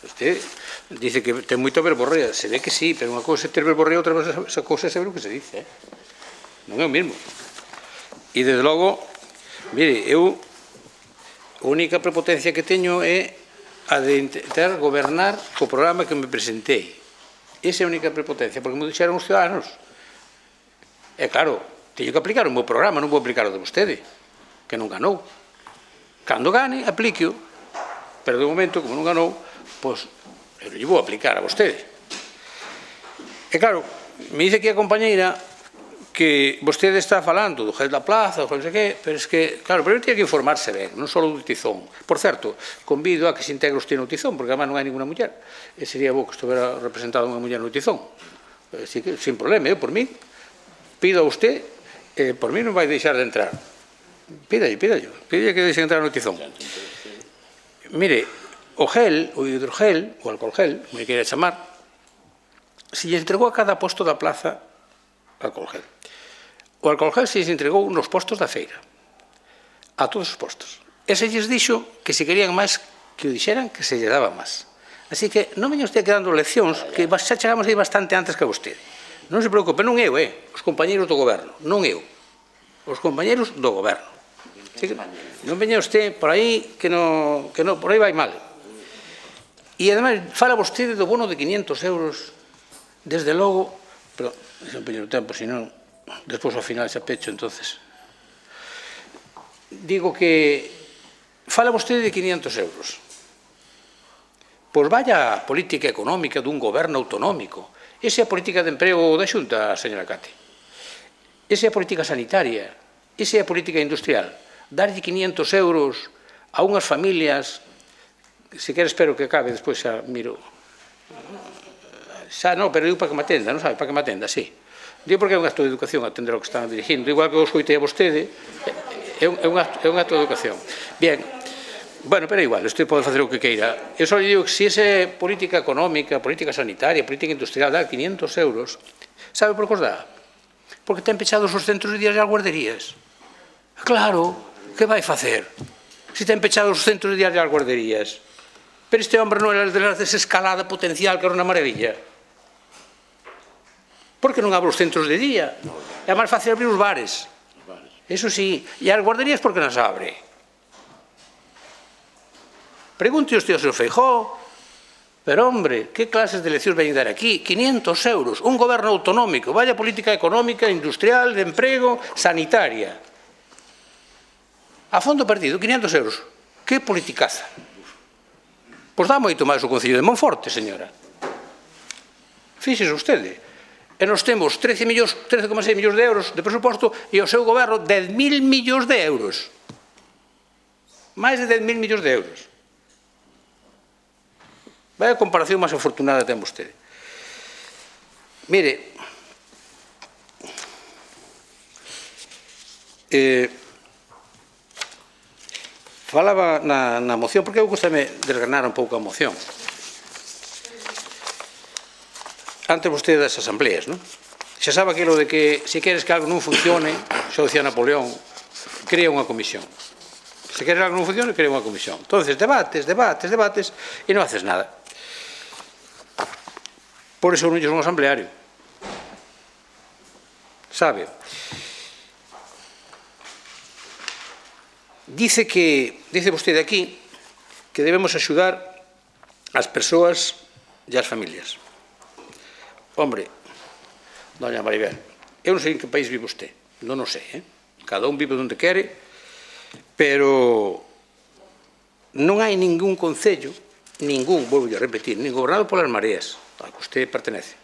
Usted dice que ten moita verborrea, se ve que sí, pero unha cousa é ter verborrea, outra cousa é saber o que se dice, eh? Non é o mesmo. E, desde logo, mire, eu a única prepotencia que teño é a de intentar gobernar co programa que me presentei. Esa é a única prepotencia, porque me dixeron os ciudadanos. É claro, teño que aplicar o meu programa, non vou aplicar o de vostede, que non ganou. Cando gane, aplique-o, pero de momento, como non ganou, pois, eu lle vou aplicar a vostede. E claro, me dice aquí a compañeira que vostede está falando do gel da plaza, ou non sei que, pero es que, claro, primeiro tiene que informarse ben, non só do tizón. Por certo, convido a que se integre usted no tizón, porque además non hai ninguna muller. E sería bo que estivera representada unha muller no tizón. Así que, sin problema, eu por mí, pido a usted, eh, por mí non vai deixar de entrar. Pídalle, pídalle, pídalle que deixe entrar no tizón. Mire, o gel, o hidrogel, o alcohol gel, como lle queira chamar, se lle entregou a cada posto da plaza alcohol gel. O alcohol gel se lle entregou nos postos da feira, a todos os postos. E se lles dixo que se querían máis que o dixeran, que se lle daba máis. Así que non veña usted quedando leccións, que xa chegamos aí bastante antes que a vostede. Non se preocupe, non eu, eh, os compañeros do goberno, non eu, os compañeros do goberno. Así que non veña usted por aí que non, que non, por aí vai mal. E, ademais, fala vostede do bono de quinientos euros, desde logo, pero, se empeño o tempo, senón, despois ao final xa pecho, entonces. Digo que fala vostede de quinientos euros. Pois vaya a política económica dun goberno autonómico. Esa é a política de emprego da Xunta, señora Cati. Esa é a política sanitaria. Esa é a política industrial. Darlle quinientos euros a unhas familias, se quer espero que acabe, despois xa miro. Xa non, pero digo para que me atenda, non sabe, para que me atenda, sí. Digo porque é un acto de educación atender o que están dirigindo, igual que o escoitei a vostede, é un, é un, acto, é un acto de educación. Bien, bueno, pero igual, isto pode facer o que queira. Eu só digo que se esa política económica, política sanitaria, política industrial dá quinientos euros, sabe por que os dá? Porque ten pechados os centros de días e as guarderías. Claro, que vai facer? Se ten pechados os centros de días e as guarderías. Pero este hombre non é de la desescalada potencial que era unha maravilla. Por que non abre os centros de día? É máis fácil abrir os bares. Eso sí. E as guarderías por que nas abre? Pregunte usted ao seu Feijóo. Pero, hombre, que clases de leccións veñen dar aquí? quinientos euros. Un goberno autonómico. Vaya política económica, industrial, de emprego, sanitaria. A fondo perdido, quinientos euros. Que politicaza. Pois dá moito máis o Concello de Monforte, señora. Fíxese vostede. E nos temos trece coma seis millóns de euros de presuposto e o seu goberno dez mil millóns de euros. Máis de dez mil millóns de euros. Vai a comparación máis afortunada ten vostede. Mire, eh, falaba na, na moción, porque eu gustame desgranar un pouco a moción. Antes vostede das asambleas, non? xa sabe aquilo de que se queres que algo non funcione, xa dicía Napoleón, crea unha comisión. Se queres algo non funcione, crea unha comisión. Entonces, debates, debates, debates, e non haces nada. Por iso non son un asambleario. Sabe? Dice que, dice vostede aquí, que debemos axudar as persoas e as familias. Hombre, doña Maribel, eu non sei en que país vive usted, non o sei, eh? Cada un vive onde quere, pero non hai ningún concello, ningún, volvo a repetir, nin gobernado polas mareas, a que usted pertenece.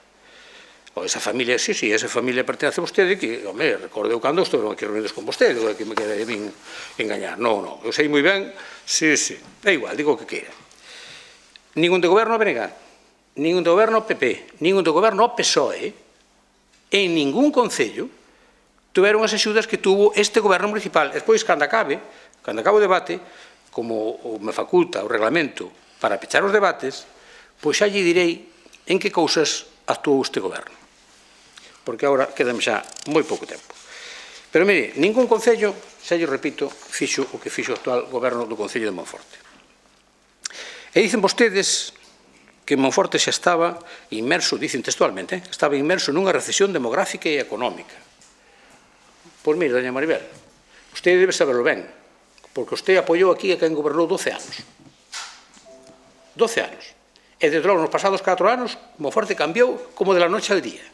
O esa familia, sí, sí, esa familia pertenece a vostede, que, home, recordeu cando estou aquí reunidos con vostede, que me quede bien engañar. Non, non, eu sei moi ben, sí, sí, é igual, digo o que queira. Ningún de goberno a B N G, ningún de goberno P P, ningún de goberno P S O E, en ningún concello tuveron as axudas que tuvo este goberno municipal. Despois, cando acabe, cando acabe o debate, como me faculta o reglamento para pechar os debates, pois xa lle direi en que cousas actuou este goberno. Porque agora quedame xa moi pouco tempo. Pero mire, ningún concello, xa lle repito, fixo o que fixo o actual goberno do Concello de Monforte. E dicen vostedes que Monforte xa estaba inmerso, dicen textualmente, estaba inmerso nunha recesión demográfica e económica. Pois mire, doña Maribel, usted debe saberlo ben, porque usted apoiou aquí a quen gobernou doce anos. doce anos. E desde logo, nos pasados catro anos, Monforte cambiou como de la noche al día.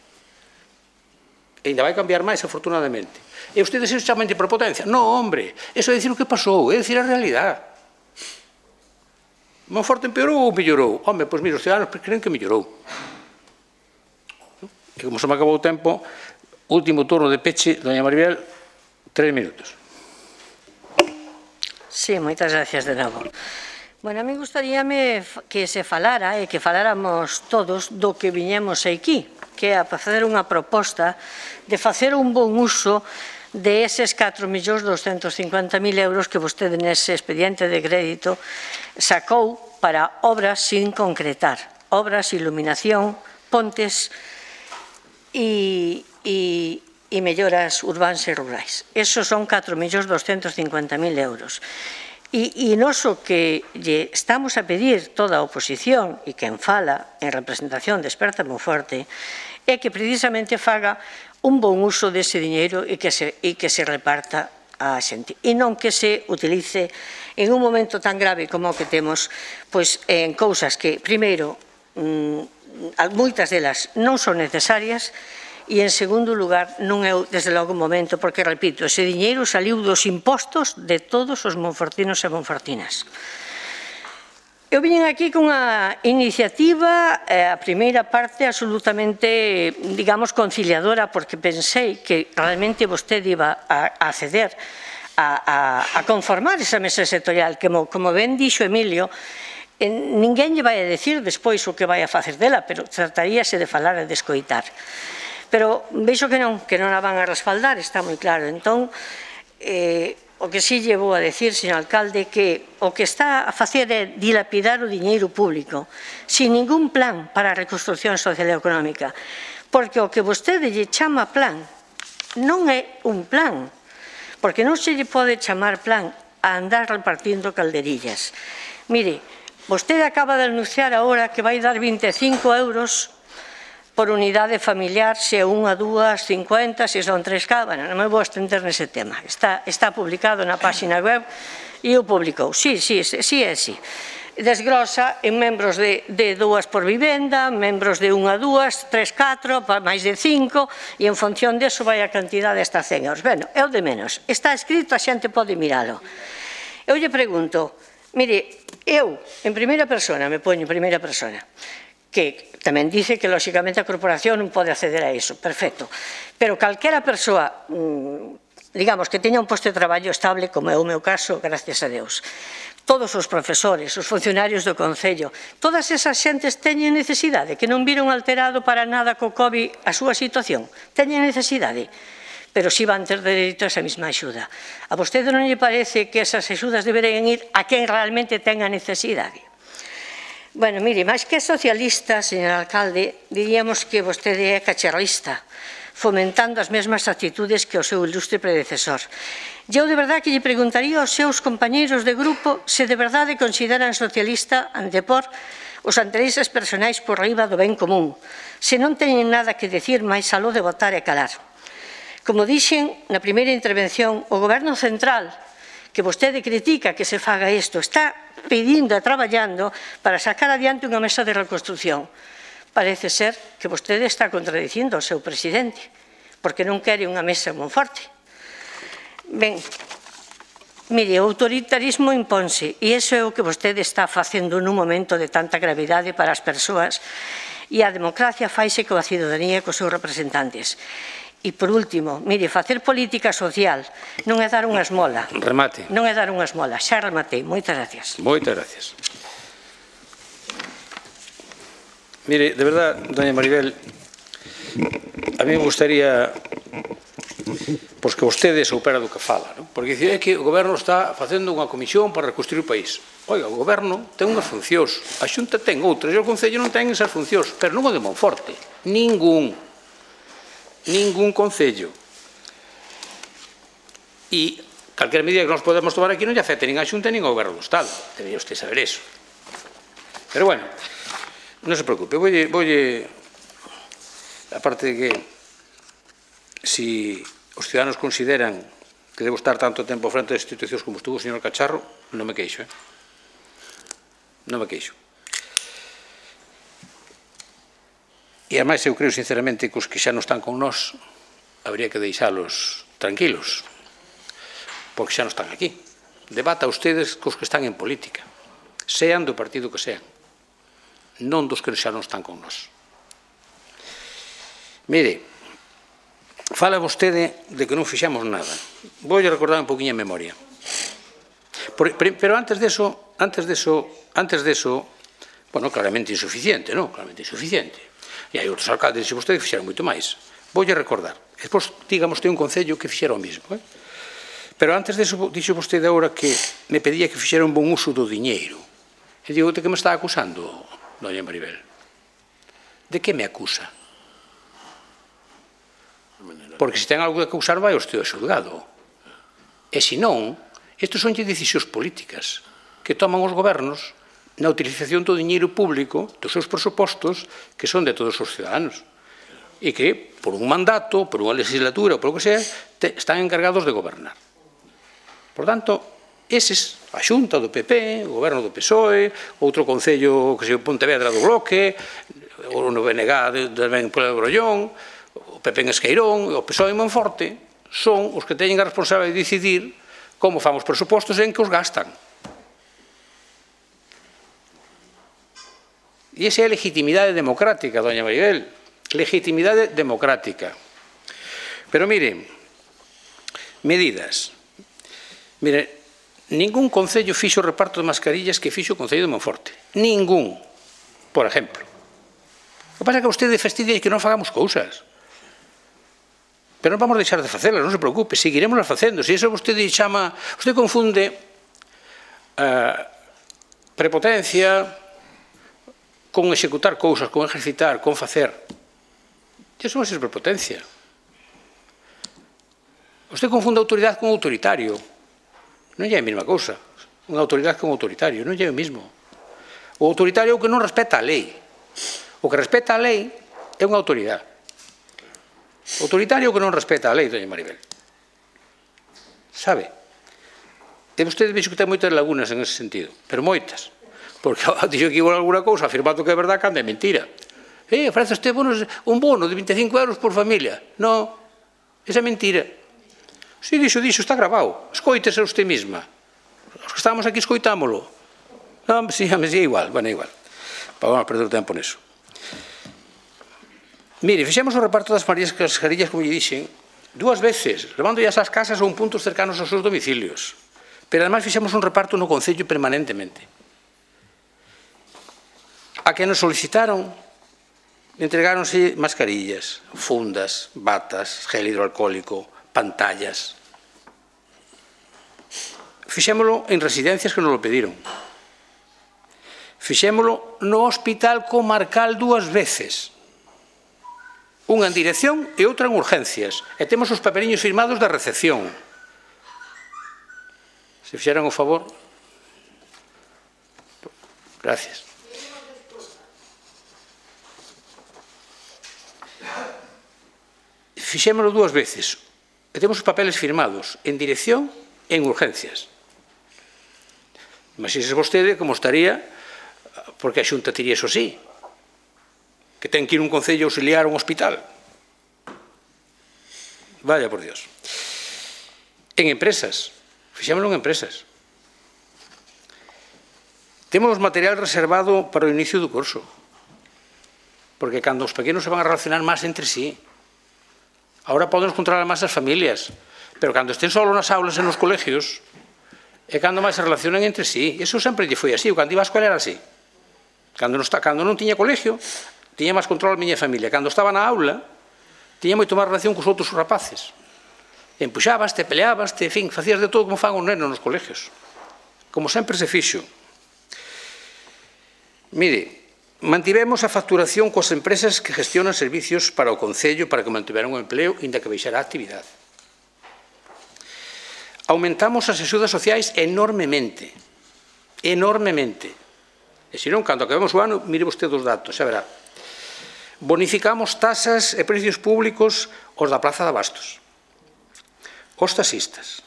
E ainda vai cambiar máis, afortunadamente. E ustedes iso chaman de prepotencia. Non, hombre, eso é dicir o que pasou, é dicir a realidade. Monforte empeorou ou mellorou? Home, pois mire, os ciudadanos creen que mellorou. E como se me acabou o tempo, último turno de peche, doña Maribel, tres minutos. Sí, moitas gracias de novo. Bueno, a mí gustaríame que se falara e que faláramos todos do que viñemos aquí, que é a facer unha proposta de facer un bon uso de eses catro millóns doscentos cincuenta mil euros que vostede nese expediente de crédito sacou para obras sin concretar, obras, iluminación, pontes e, e, e melloras urbans e rurais. Esos son catro millóns doscentos cincuenta mil euros. E, e nos o que lle estamos a pedir toda a oposición e quen fala en representación de Experta Monforte é que precisamente faga un bon uso dese diñeiro e que se, e que se reparta a xente e non que se utilice en un momento tan grave como o que temos pois en cousas que, primeiro, mmm, moitas delas non son necesarias e, en segundo lugar, non é desde logo o momento, porque, repito, ese diñeiro saliu dos impostos de todos os monfortinos e monfortinas. Eu vim aquí con unha iniciativa, a primeira parte absolutamente, digamos, conciliadora, porque pensei que realmente vostede iba a acceder a, a, a conformar esa mesa sectorial, que, como ben dixo Emilio, ninguén lle vai a decir despois o que vai a facer dela, pero trataríase de falar e de escoitar. Pero vexo que non, que non a van a respaldar, está moi claro. Entón, eh, o que sí lle vou a decir, señor alcalde, que o que está a facer é dilapidar o diñeiro público sin ningún plan para a reconstrucción social e económica, porque o que vostede lle chama plan non é un plan, porque non se lle pode chamar plan a andar repartindo calderillas. Mire, vostede acaba de anunciar agora que vai dar vinte e cinco euros por unidade familiar, se é unha, dúas, cincuenta, se son tres K, bueno, non me vou estender nese tema. Está, está publicado na página web e o publicou. Sí, sí, sí, é sí. Desglosa en membros de, de dúas por vivenda, membros de unha, dúas, tres, catro, máis de cinco, e en función deso vai a cantidade hasta cen euros. Bueno, é o de menos. Está escrito, a xente pode miralo. Eu lle pregunto, mire, eu, en primeira persona, me poño en primeira persona, que tamén dice que, lóxicamente, a corporación non pode acceder a iso, perfecto. Pero calquera persoa, digamos, que teña un posto de traballo estable, como é o meu caso, gracias a Deus, todos os profesores, os funcionarios do Concello, todas esas xentes teñen necesidade, que non viron alterado para nada co COVID a súa situación, teñen necesidade, pero si van ter dereito a esa mesma axuda. A vostede non lle parece que esas axudas deberían ir a quen realmente tenga necesidade? Bueno, mire, máis que socialista, señor alcalde, diríamos que vostede é cacharrista, fomentando as mesmas actitudes que o seu ilustre predecesor. Eu de verdade que lle preguntaría aos seus compañeiros de grupo se de verdade consideran socialista antepor os intereses personais por riba do ben común, se non teñen nada que decir máis aló de votar e calar. Como dixen na primeira intervención, o Goberno Central, que vostede critica que se faga isto, está pedindo e traballando para sacar adiante unha mesa de reconstrucción. Parece ser que vostede está contradicindo ao seu presidente, porque non quere unha mesa en Monforte. Ben, mire, o autoritarismo imponse, e iso é o que vostede está facendo nun momento de tanta gravidade para as persoas, e a democracia faise coa cidadanía e cos seus representantes. E, por último, mire, facer política social non é dar unha esmola. Remate. Non é dar unha esmola. Xa rematei. Moitas gracias. Moitas gracias. Mire, de verdad, doña Maribel, a mí me gustaría pois que vostede soupera do que fala, non? Porque dice, é que o Goberno está facendo unha comisión para reconstruir o país. Oiga, o Goberno ten unhas funcións, a Xunta ten outras, e o Concello non ten esas funcións, pero non o de Monforte. Ningún. Ningún Concello. E calquera medida que nos podemos tomar aquí non lle afecta nin a Xunta nin ao Goberno do Estado. Debería usted saber eso. Pero bueno, non se preocupe, voulle, voulle aparte de que si os ciudadanos consideran que debo estar tanto tempo frente das institucións como estuvo o señor Cacharro, non me queixo, eh? Non me queixo. E ademais eu creo sinceramente que os que xa non están con nós habría que deixalos tranquilos, porque xa non están aquí. Debata ustedes cos que están en política, sean do partido que sean, non dos que xa non están con nós. Mire, fala vostede de que non fixamos nada. Vou recordar un poquinho a memoria. Pero antes de eso, antes de eso, antes de eso, bueno, claramente insuficiente, non? Claramente insuficiente. E hai outros alcaldes, se vostede, que fixeron moito máis. Vou recordar. Despois, digamos, ten un concello que fixera o mismo. Eh? Pero antes de eso, dixo vostede agora que me pedía que fixera un bon uso do diñeiro. E digo, de que me está acusando, doña Maribel? De que me acusa? Porque se ten algo que acusar vai ao esteo xulgado. E se non, estes son decisións políticas que toman os gobernos na utilización do diñeiro público dos seus presupostos que son de todos os ciudadanos e que, por un mandato, por unha legislatura ou por o que sea, están encargados de gobernar. Por tanto, eses, a Xunta do P P, o goberno do P S O E, outro concello que se Pontevedra do Bloque, o no B N G tamén polo Brollón, o P P en Esqueirón, o P S O E en Monforte, son os que teñen a responsabilidade de decidir como fan os presupostos e en que os gastan. E esa é a legitimidade democrática, doña Maribel, legitimidade democrática. Pero mire, medidas. Mire, ningún concello fixo o reparto de mascarillas que fixo o Concello de Monforte. Ningún, por exemplo. O que pasa é que vostede fastidia que non fagamos cousas. Pero non vamos deixar de facelas, non se preocupe, seguiremos facendo. Se iso vostede chama, vostede confunde uh, prepotencia con executar cousas, con ejercitar, con facer. Iso non é prepotencia. Vostede confunde autoridade con autoritario. Non é a mesma cousa. Unha autoridade con autoritario, non é o mesmo. O autoritario é o que non respeta a lei. O que respeta a lei é unha autoridade. O autoritario que non respeta a lei, doña Maribel. Sabe? E vostede vexo que ten moitas lagunas en ese sentido, pero moitas. Porque dixo que igual alguna cousa afirmando que é verdade cando é mentira. Eh, ofrece este bonos, un bono de veinticinco euros por familia. Non, esa é mentira. Si dixo, dixo, está grabado. Escoítese usted mesma. Os que estamos aquí escoitámolo. Non, si, me si, igual, bueno, igual. Vamos a perder o tempo neso. Mire, fixemos o reparto das mascarillas, como lle dixen, dúas veces, levando as ás casas ou un puntos cercanos aos seus domicilios. Pero además fixemos un reparto no Concello permanentemente. A que nos solicitaron, entregáronse mascarillas, fundas, batas, gel hidroalcohólico, pantallas. Fixémolo en residencias que nos lo pediron. Fixémolo no Hospital Comarcal dúas veces. Unha en dirección e outra en urgencias. E temos os papeliños firmados da recepción. Se fixeran o favor. Gracias. Fixémolo dúas veces. E temos os papeles firmados en dirección e en urgencias. Imagínese vostede como estaría, porque a Xunta tiría iso así, que ten que ir un concello auxiliar a un hospital. Vaya por Dios. En empresas. Fixémolo en empresas. Temos material reservado para o inicio do curso. Porque cando os pequenos se van a relacionar máis entre sí, agora poden controlar máis as familias, pero cando estén solo nas aulas e nos colegios, é cando máis se relacionan entre sí. Iso sempre lle foi así. Cando iba á escola era así. Cando non, está, cando non tiña colegio, tiña máis control a miña familia. Cando estaba na aula, tiña moito máis relación cos outros rapaces. Empuxabaste, peleabaste, en fin, facías de todo como fan os nenos nos colegios. Como sempre se fixo. Mire, mantivemos a facturación coas empresas que gestionan servicios para o Concello para que mantiveran o empleo, inda que baixara a actividade. Aumentamos as axudas sociais enormemente. Enormemente. E se non, cando acabemos o ano, mire vostede os datos, xa verá. Bonificamos tasas e precios públicos os da Praza de Abastos, os taxistas,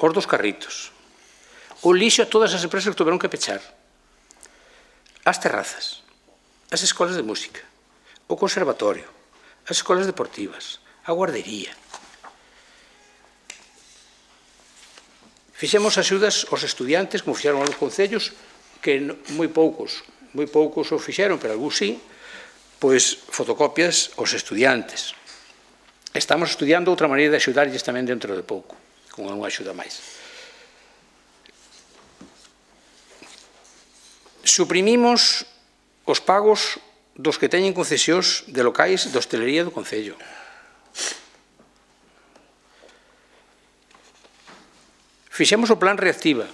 os dos carritos, o lixo a todas as empresas que tuveron que pechar, as terrazas, as escolas de música, o conservatorio, as escolas deportivas, a guardería. Fixemos axudas aos estudiantes, como fixeron algúns concellos, que moi poucos, moi poucos o fixeron, pero algúns sí, pois fotocopias aos estudiantes. Estamos estudiando outra maneira de axudarlles tamén dentro de pouco, con unha axuda máis. Suprimimos os pagos dos que teñen concesións de locais de hostelería do Concello. Fixemos o plan Reactiva,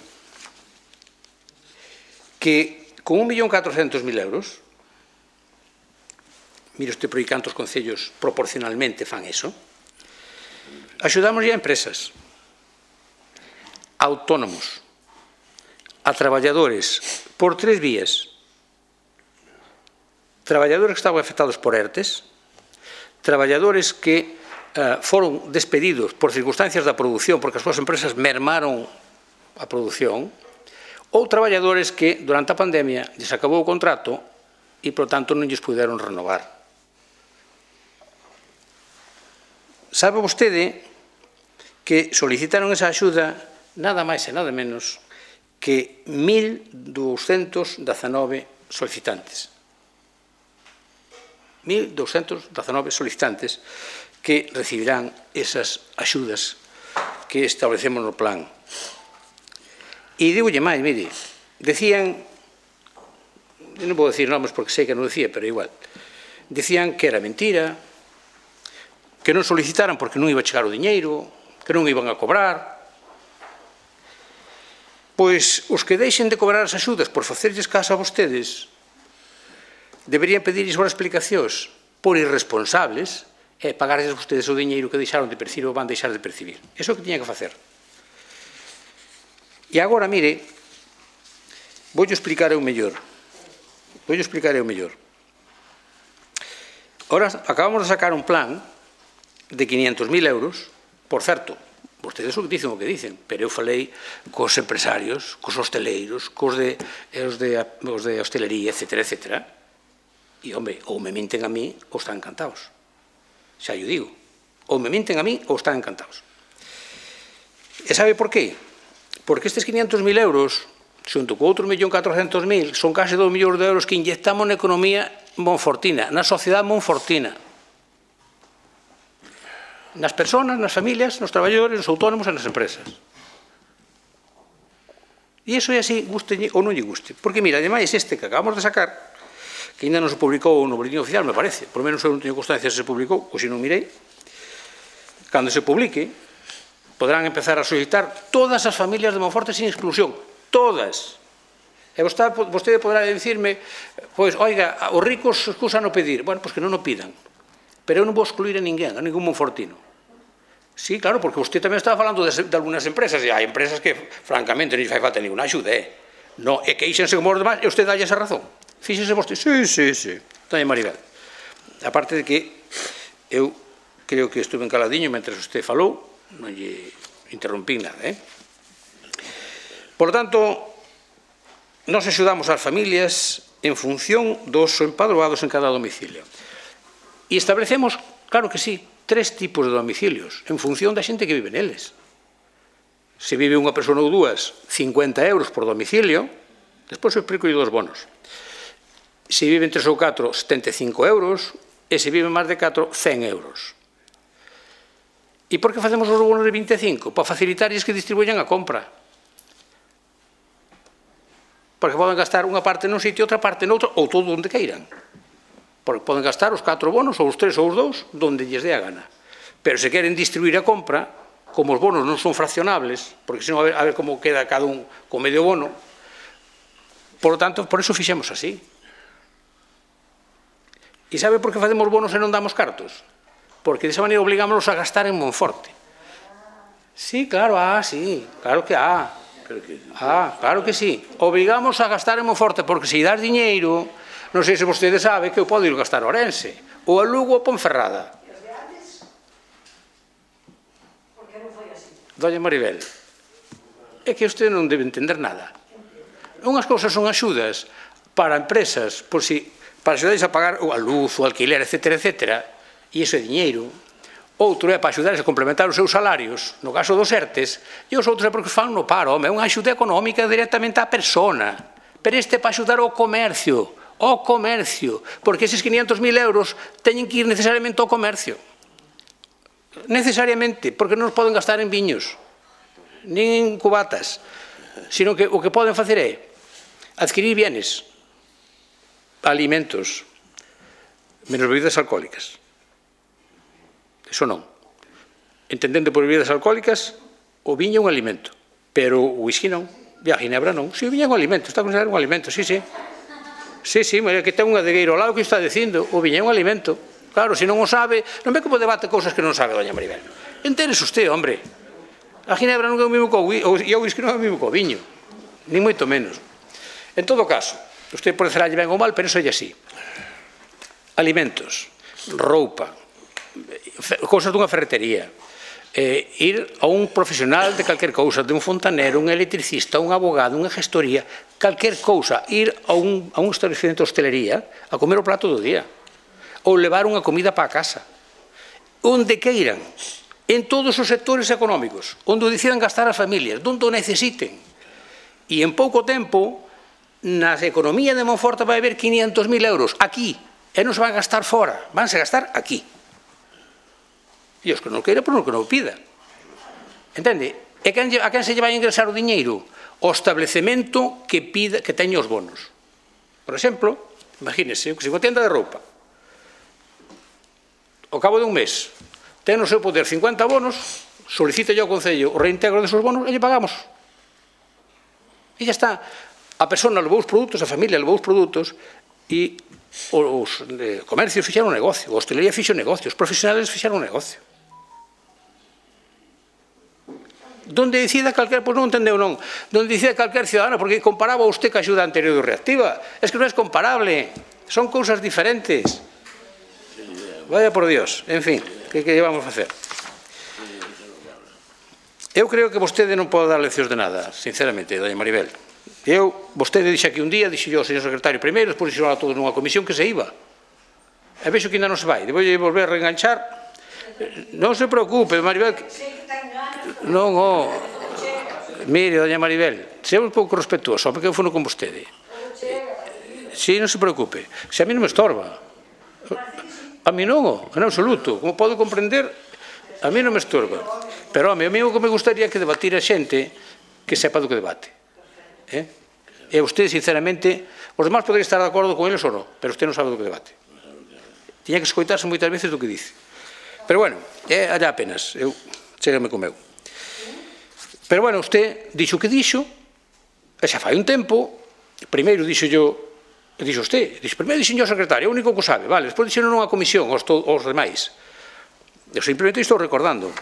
que con un millón catrocentos mil euros, mire usted por aí cantos concellos proporcionalmente fan eso, axudamos a empresas, a autónomos, a traballadores, por tres vías. Traballadores que estaban afectados por ERTES, traballadores que Uh, foron despedidos por circunstancias da produción porque as súas empresas mermaron a produción, ou traballadores que durante a pandemia lles acabou o contrato e, por tanto, non lles puderon renovar. Sabe vostede que solicitaron esa axuda nada máis e nada menos que mil douscentos dezanove solicitantes. mil douscentos dezanove solicitantes que recibirán esas axudas que establecemos no plan. E digolle máis, mire, decían, non vou decir nomes porque sei que non decía, pero igual, decían que era mentira, que non solicitaran porque non iba a chegar o diñeiro, que non iban a cobrar. Pois os que deixen de cobrar as axudas por facerlles caso a vostedes deberían pedirlles as explicacións por irresponsables e pagarles vostedes o diñeiro que deixaron de percibir ou van deixar de percibir. Iso é o que tiña que facer. E agora, mire, vou explicar eu mellor. Vou explicar eu mellor. Ahora, acabamos de sacar un plan de quinientos mil euros, por certo, vostedes o que dicen o que dicen, pero eu falei cos empresarios, cos hosteleiros, cos de, os de, os de hostelería, etcétera, etcétera, e, home, ou me minten a mí ou están encantados. Xa yo digo, ou me minten a mí ou están encantados. E sabe por qué? Porque estes quinientos mil euros, xunto co outro millón catrocentos mil, son case dos millóns de euros que inyectamos na economía monfortina, na sociedade monfortina. Nas persoas, nas familias, nos traballadores, nos autónomos e nas empresas. E iso é así, guste ou non lle guste. Porque, mira, ademais, este que acabamos de sacar, que ainda non se publicou no boletín oficial, me parece, por menos eu non teño constancia se se publicou, ou se non mirei, cando se publique, podrán empezar a solicitar todas as familias de Monforte sin exclusión, todas, E vostede poderá dicirme, pois, oiga, os ricos excusan o pedir. Bueno, pois que non o pidan. Pero eu non vou excluir a ninguén, a ningún monfortino. Sí, claro, porque usted tamén estaba falando de, de algunas empresas, e hai empresas que, francamente, non fai falta ninguna axuda, eh? No, e queixense como os demás, e usted dalle esa razón. Fíxese vostede, sí, sí, sí, doña Maribel. Aparte de que eu creo que estuve encaladinho mentre usted falou, non lle interrompí nada, eh? Por lo tanto, nos axudamos ás familias en función dos empadroados en cada domicilio. E establecemos, claro que sí, tres tipos de domicilios, en función da xente que vive neles. Se vive unha persona ou dúas, cincuenta euros por domicilio, despois eu explico dos bonos. Se viven tres ou catro, setenta e cinco euros, e se viven máis de catro, cen euros. E por que facemos os bonos de vinte e cinco? Para facilitarles que distribuyan a compra. Porque poden gastar unha parte nun sitio, outra parte noutro, ou todo onde queiran. Porque poden gastar os catro bonos, ou os tres ou os dous, donde lles dé a gana. Pero se queren distribuir a compra, como os bonos non son fraccionables, porque senón a ver, a ver como queda cada un con medio bono, por lo tanto, por eso fixemos así. E sabe por que facemos bonos e non damos cartos? Porque desa maneira obligámonos a gastar en Monforte. Sí, claro, ah, sí, claro que ah. Ah, claro que sí. Obrigamos a gastar en Monforte, porque se das diñeiro, non sei se vostede sabe que eu podo ir gastar a Orense, ou a Lugo ou a Ponferrada. Doña Maribel, é que usted non debe entender nada. Unhas cousas son axudas para empresas, por si, para axudarles a pagar a luz, o alquiler, etcétera, etcétera, e iso é diñeiro. Outro é para axudarles a complementar os seus salarios, no caso dos ERTES, e os outros é porque fan no paro, home, é unha axuda económica directamente á persona. Pero este é para axudar ao comercio, ao comercio, porque eses quinientos mil euros teñen que ir necesariamente ao comercio. Necesariamente, porque non os poden gastar en viños, nin en cubatas, sino que o que poden facer é adquirir bienes, alimentos, menos bebidas alcohólicas. Eso non. Entendendo por bebidas alcohólicas, o viño é un alimento, pero o whisky non, e a ginebra non. Si, o viño é un alimento, está considerado un alimento, sí, sí. Sí, sí, mira que ten un adegueiro ao lado que está dicindo, o viño é un alimento. Claro, se non o sabe, non ve como debate cousas que non sabe, doña Maribel. Entérese usted, hombre. A ginebra non é o mesmo que o whisky, e o whisky non é o mesmo que o viño, nin moito menos. En todo caso, usted pode falarlle ben ou mal, pero iso é así. Alimentos, roupa, cousas dunha ferretería, eh, ir a un profesional de calquer cousa, de un fontanero, un electricista, un abogado, unha gestoría, calquer cousa, ir a un, a un establecemento de hostelería a comer o plato do día, ou levar unha comida para a casa, onde queiran, en todos os sectores económicos, onde o decidan gastar as familias, onde o necesiten. E en pouco tempo, na economía de Monforte vai haber quinientos mil euros aquí, e non se van a gastar fora, vanse a gastar aquí. E os que non queira, por non que non pida. Entende? E a quen se lle vai a ingresar o diñeiro? O establecemento que pida, que teña os bonos. Por exemplo, imagínese, que se unha tienda de roupa, ao cabo de un mes, ten no seu poder cincuenta bonos, solicita ao Concello o reintegro desos bonos e lle pagamos. E xa está. A persona levou os produtos, a familia levou os produtos e os comercios fixeron un negocio, a hostelería fixo un negocio, os profesionales fixeron un negocio. Donde decida calquer, pois non entendeu non, donde decida calquer ciudadano, porque comparaba usted ca axuda anterior do Reactiva, es que non é comparable, son cousas diferentes. Vaya por Dios, en fin, que que llevamos a facer? Eu creo que vostede non pode dar leccións de nada, sinceramente, doña Maribel. Eu, vostede dixe aquí un día, dixe yo ao señor secretario primeiro, despois dixo a todos nunha comisión que se iba. E vexo que ainda non se vai, debo volver a reenganchar. Non se preocupe, Maribel. Non, oh, mire, doña Maribel, seamos un pouco respetuoso, porque eu fono con vostede. Si, non se preocupe, se a mí non me estorba. A mí non, en absoluto, como podo comprender, a mí non me estorba. Pero, home, a mí o que me gustaría é que debatir a xente que sepa do que debate. E usted, sinceramente, os demás poderían estar de acordo con eles ou non, pero usted non sabe do que debate. Tiña que escoitarse moitas veces do que dice. Pero, bueno, é allá apenas, eu chégame co meu. Pero, bueno, usted dixo o que dixo, e xa fai un tempo, primeiro dixo yo, dixo usted, dixo, primeiro dixo yo secretario, é o único que o sabe, vale, despois dixo nunha comisión aos, aos demais. Eu simplemente estou recordando.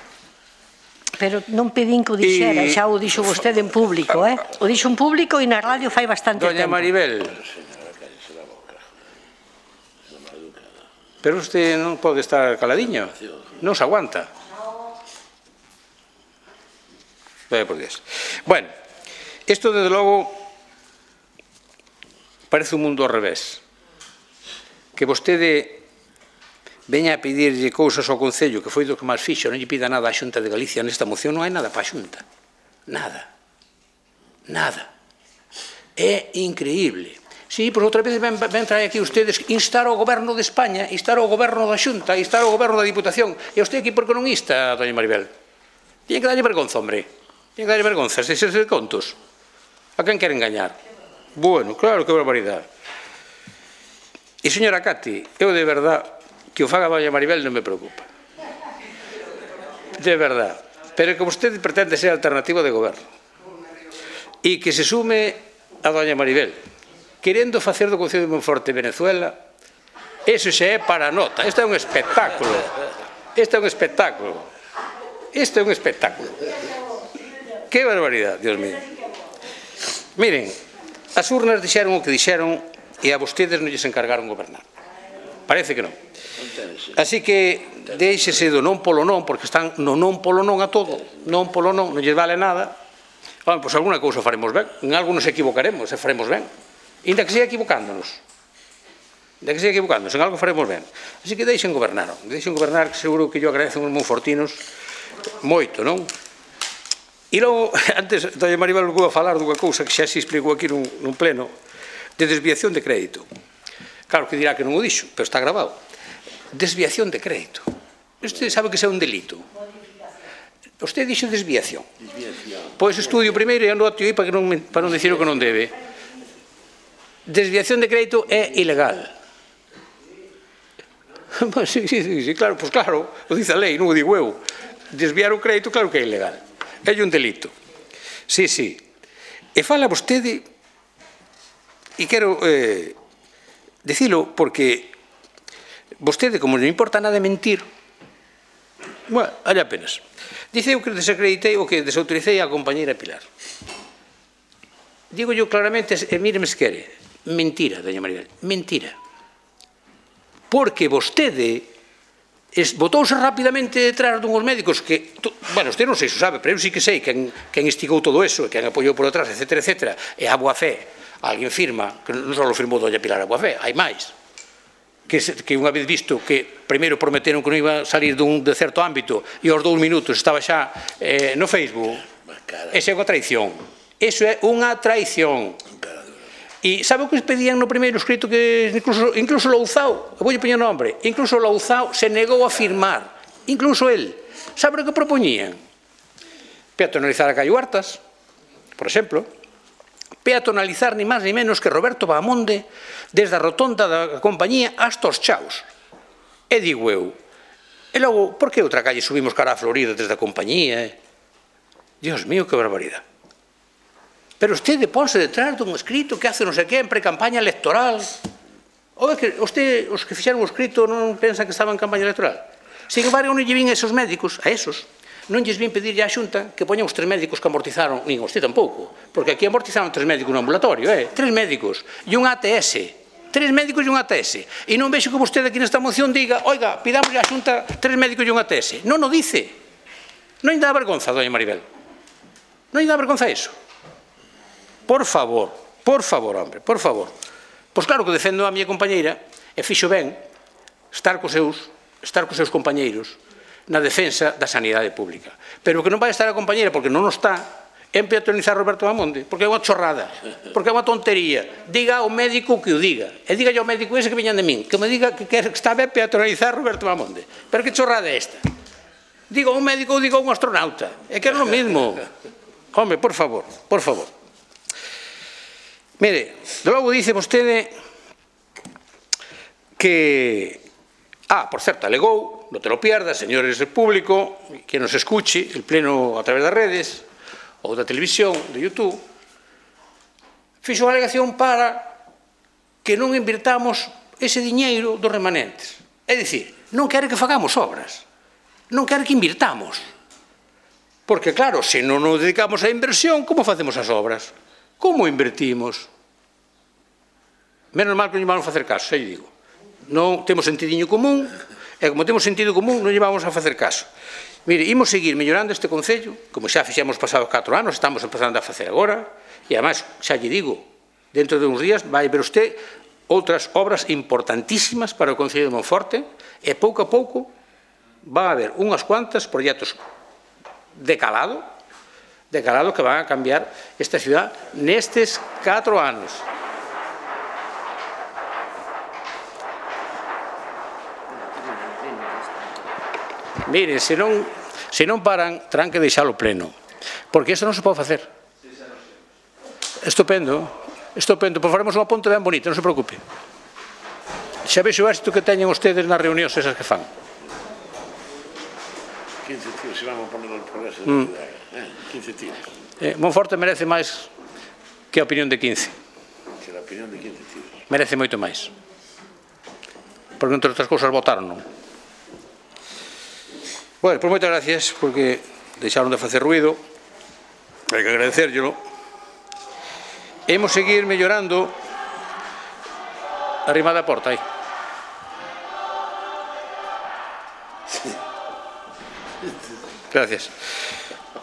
Pero non pedín que o dixera, e... xa o dixo vostede en público, eh? O dixo en público e na radio fai bastante Doña tempo. Maribel, pero usted non pode estar caladiño, non se aguanta. Vaya por Dios. Bueno, isto desde logo parece un mundo ao revés. Que vostede veña a pedirlle cousas ao Concello, que foi do que máis fixo, non lle pida nada á Xunta de Galicia nesta moción, non hai nada para a Xunta. Nada. Nada. É increíble. Sí, pois outra vez ven, ven traer aquí ustedes instar ao Goberno de España, instar ao Goberno da Xunta, instar ao Goberno da Diputación. E usted aquí por que non insta, doña Maribel? Tiene que darlle vergonza, hombre. Tiene que darlle vergonza, se se de contos. A quen quere engañar? Bueno, claro, que barbaridade. E, señora Cati, eu de verdad, que o faga doña Maribel non me preocupa. De verdad. Pero que vostede pretende ser alternativa de goberno. E que se sume a doña Maribel, querendo facer do Concello de Monforte Venezuela, eso xa é para a nota. Isto é un espectáculo. Isto é un espectáculo. Isto é un espectáculo. Que barbaridade, Dios mío. Miren, as urnas dixeron o que dixeron e a vostedes non lles encargaron gobernar. Parece que non. Así que deixese do non polo non, porque están no non polo non a todo. Non polo non, non lles vale nada. Bueno, pois alguna cousa faremos ben. En algo nos equivocaremos e faremos ben. Inda que siga equivocándonos. Inda que siga equivocándonos, en algo faremos ben. Así que deixen gobernar. Deixen gobernar, que seguro que yo agradecen os monfortinos moito, non? E logo, antes, doña Maribel vou a falar dunha cousa que xa se explicou aquí nun, nun pleno, de desviación de crédito. Claro que dirá que non o dixo, pero está grabado. Desviación de crédito. Usted sabe que isso é un delito. Usted dixo desviación. Pois estudio primeiro e anoto aí para, que non, para non dicir o que non debe. Desviación de crédito é ilegal. Sí, sí, sí, claro, pois claro, o dice a lei, non o digo eu. Desviar o crédito, claro que é ilegal. É un delito. Sí, sí. E fala vostede, e quero eh, dicilo porque vostede, como non importa nada mentir, bueno, allá apenas. Dice eu que desacreditei o que desautoricei a compañeira Pilar. Digo yo claramente, e míreme se quere, mentira, doña Maribel, mentira. Porque vostede botouse rapidamente detrás dunhos médicos que, bueno, usted non sei se sabe, pero eu sí que sei quen, quen instigou todo eso, quen apoiou por atrás, etcétera, etcétera, e a boa fe, alguén firma, que non só firmou doña Pilar a boa fe, hai máis, que, que unha vez visto que primeiro prometeron que non iba a salir dun de certo ámbito e aos dous minutos estaba xa eh, no Facebook, esa é unha traición, eso é unha traición. E sabe o que pedían no primeiro escrito que incluso, incluso Louzao, voulle poñer nombre, incluso Louzao se negou a firmar, incluso el. Sabe o que propoñían? Peatonalizar a Caio Huertas, por exemplo, peatonalizar ni máis ni menos que Roberto Bahamonde desde a rotonda da compañía hasta os Chaos. E digo eu, e logo, por que outra calle subimos cara a Florida desde a compañía? Dios mío, que barbaridade. Pero usted ponse detrás dun escrito que hace non sei que en pre-campaña electoral. Ou é que usted, os que fixeron o escrito non pensan que estaban en campaña electoral? Sin embargo, non lle vin a esos médicos, a esos, non lles vin pedirlle á Xunta que poñan os tres médicos que amortizaron, nin usted tampouco, porque aquí amortizaron tres médicos no ambulatorio, eh? Tres médicos e un A T S. Tres médicos e un A T S. E non vexo que vostede aquí nesta moción diga, oiga, pidamoslle á Xunta tres médicos e un A T S. Non o dice. Non lle dá vergonza, doña Maribel. Non lle dá vergonza iso. Por favor, por favor, hombre, por favor. Pois claro que defendo a miña compañeira e fixo ben estar cos seus, estar cos seus compañeiros na defensa da sanidade pública. Pero que non vai estar a compañeira, porque non está, en peatonizar Roberto Bahamonde, porque é unha chorrada, porque é unha tontería. Diga ao médico que o diga. E diga ao médico ese que veñan de min, que me diga que está ben peatonizar Roberto Bahamonde. Pero que chorrada é esta? Diga ao médico ou diga a un astronauta. É que é o mesmo. Home, por favor, por favor. Mire, de logo dice vostede que... Ah, por certo, alegou, non te lo pierdas, señores del público, que nos escuche, el pleno a través das redes, ou da televisión, de YouTube, fixo unha alegación para que non invirtamos ese diñeiro dos remanentes. É dicir, non quere que fagamos obras, non quere que invirtamos. Porque, claro, se non nos dedicamos á inversión, como facemos as obras? Como invertimos? Menos mal que non vamos a facer caso, xa lle digo. Non temos sentidiño común, e como temos sentido común, non lle vamos a facer caso. Mire, imos seguir mellorando este Concello, como xa fixemos pasados catro anos, estamos empezando a facer agora, e, además, xa lle digo, dentro de uns días vai ver usted outras obras importantísimas para o Concello de Monforte, e pouco a pouco va a haber unhas cuantas proxectos de calado, de calado que van a cambiar esta ciudad nestes catro anos. Miren, se non, se non paran, terán que deixalo pleno, porque isto non se pode facer. Estupendo, estupendo, pois faremos unha ponte ben bonita, non se preocupe. Xa vexo o éxito que teñen ustedes nas reunións esas que fan. quince tíos, se vamos a poner el progreso de la ciudad, quince tíos. Eh, Monforte merece máis que a opinión de quince. Que a opinión de quince tíos. Merece moito máis. Porque, entre outras cousas, votaron, non? Bueno, pois moitas gracias, porque deixaron de facer ruido, hai que agradecerllelo. Hemos seguir mellorando arriba da porta, aí. Gracias.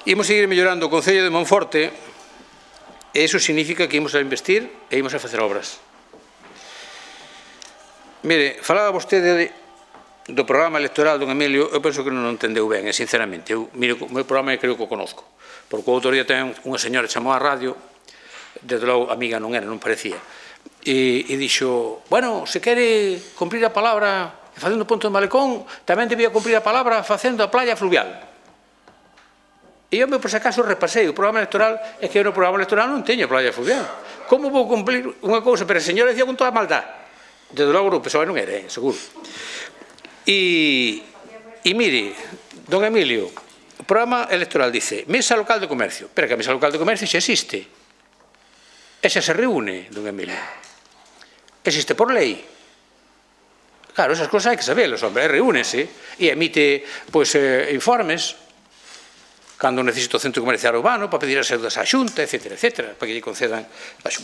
Imos seguir mellorando o Concello de Monforte, e iso significa que imos a investir e imos a facer obras. Mire, falaba vostede de do programa electoral don Emilio, eu penso que non o entendeu ben, sinceramente. Eu, mire, o meu programa creo que o conozco, porque o outro día ten unha señora que chamou á radio, desde logo amiga non era, non parecía, e, e dixo, bueno, se quere cumprir a palabra facendo ponto de malecón, tamén debía cumprir a palabra facendo a playa fluvial. E eu, por se acaso, repasei o programa electoral, é que eu no programa electoral non teño playa fluvial. Como vou cumplir unha cousa? Pero a señora decía con toda a maldad. Desde logo o P S O E non era, eh, seguro. E, e mire, don Emilio, o programa electoral dice Mesa Local de Comercio, pero que a Mesa Local de Comercio xa existe, e xa se reúne, don Emilio, existe por lei. Claro, esas cosas hai que sabelas, hombre, reúnese e emite, pois, eh, informes cando necesita o centro comercial urbano para pedir as axudas á Xunta, etcétera, etcétera, para que lle concedan,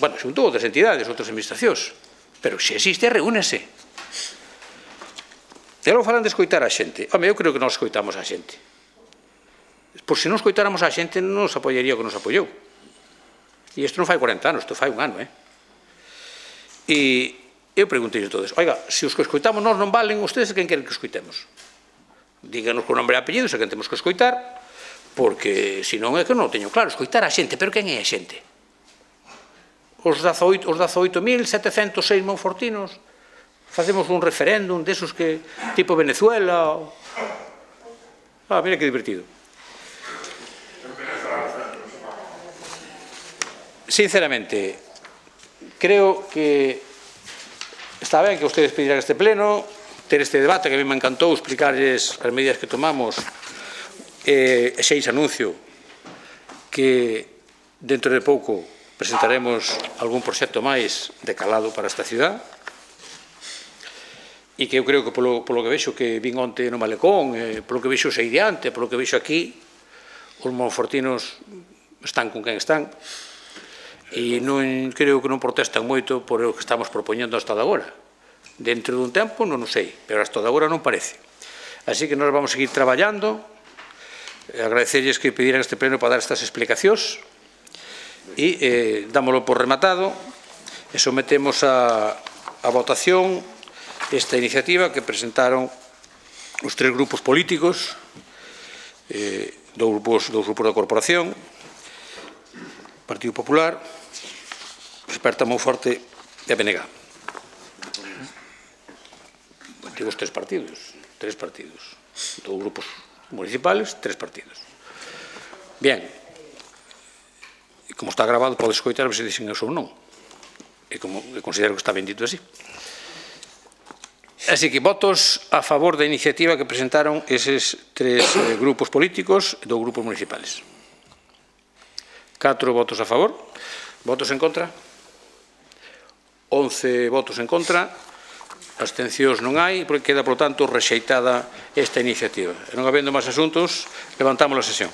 bueno, xunto outras entidades, outras administracións, pero se existe, reúnese. E logo falan de escoitar a xente. Home, eu creo que non escoitamos a xente. Por se non escoitáramos a xente, non nos apoyaría o que nos apoyou. E isto non fai corenta anos, isto fai un ano, eh? E eu preguntei a todos, oiga, se os que escoitamos nós non valen, ustedes a quen queren que escoitemos? Díganos con nombre e apellido, se quen temos que escoitar, porque, se non é que non o teño claro, escoitar a xente, pero quen é a xente? Os dezaoito mil setecentos seis monfortinos, facemos un referéndum desos que, tipo Venezuela. Ah, mira que divertido. Sinceramente, creo que está ben que ustedes pedirán este pleno, ter este debate, que a mí me encantou explicarles as medidas que tomamos, e xeis anuncio que dentro de pouco presentaremos algún proxecto máis de calado para esta ciudad, e que eu creo que polo, polo que vexo que vin onte no Malecón, eh, polo que vexo sei diante, polo que vexo aquí, os monfortinos están con quen están, e non creo que non protestan moito por o que estamos propoñendo hasta de agora. Dentro dun tempo non o sei, pero hasta de agora non parece. Así que nós vamos seguir traballando, agradecerles que pediran este pleno para dar estas explicacións, e eh, dámoslo por rematado, e sometemos a, a votación esta iniciativa que presentaron os tres grupos políticos, eh, dos grupos, dos grupos da corporación, Partido Popular, Experta Monforte e a B N G. Digo os tres partidos, tres partidos, dos grupos municipales, tres partidos. Bien, e como está grabado, pode escoitar se dixen eso ou non, e como considero que está ben dito así. Así que votos a favor da iniciativa que presentaron eses tres eh, grupos políticos e dos grupos municipales. Catro votos a favor. Votos en contra? once votos en contra, abstencións non hai, porque queda, por tanto, rexeitada esta iniciativa. E non habendo máis asuntos, levantamos a sesión.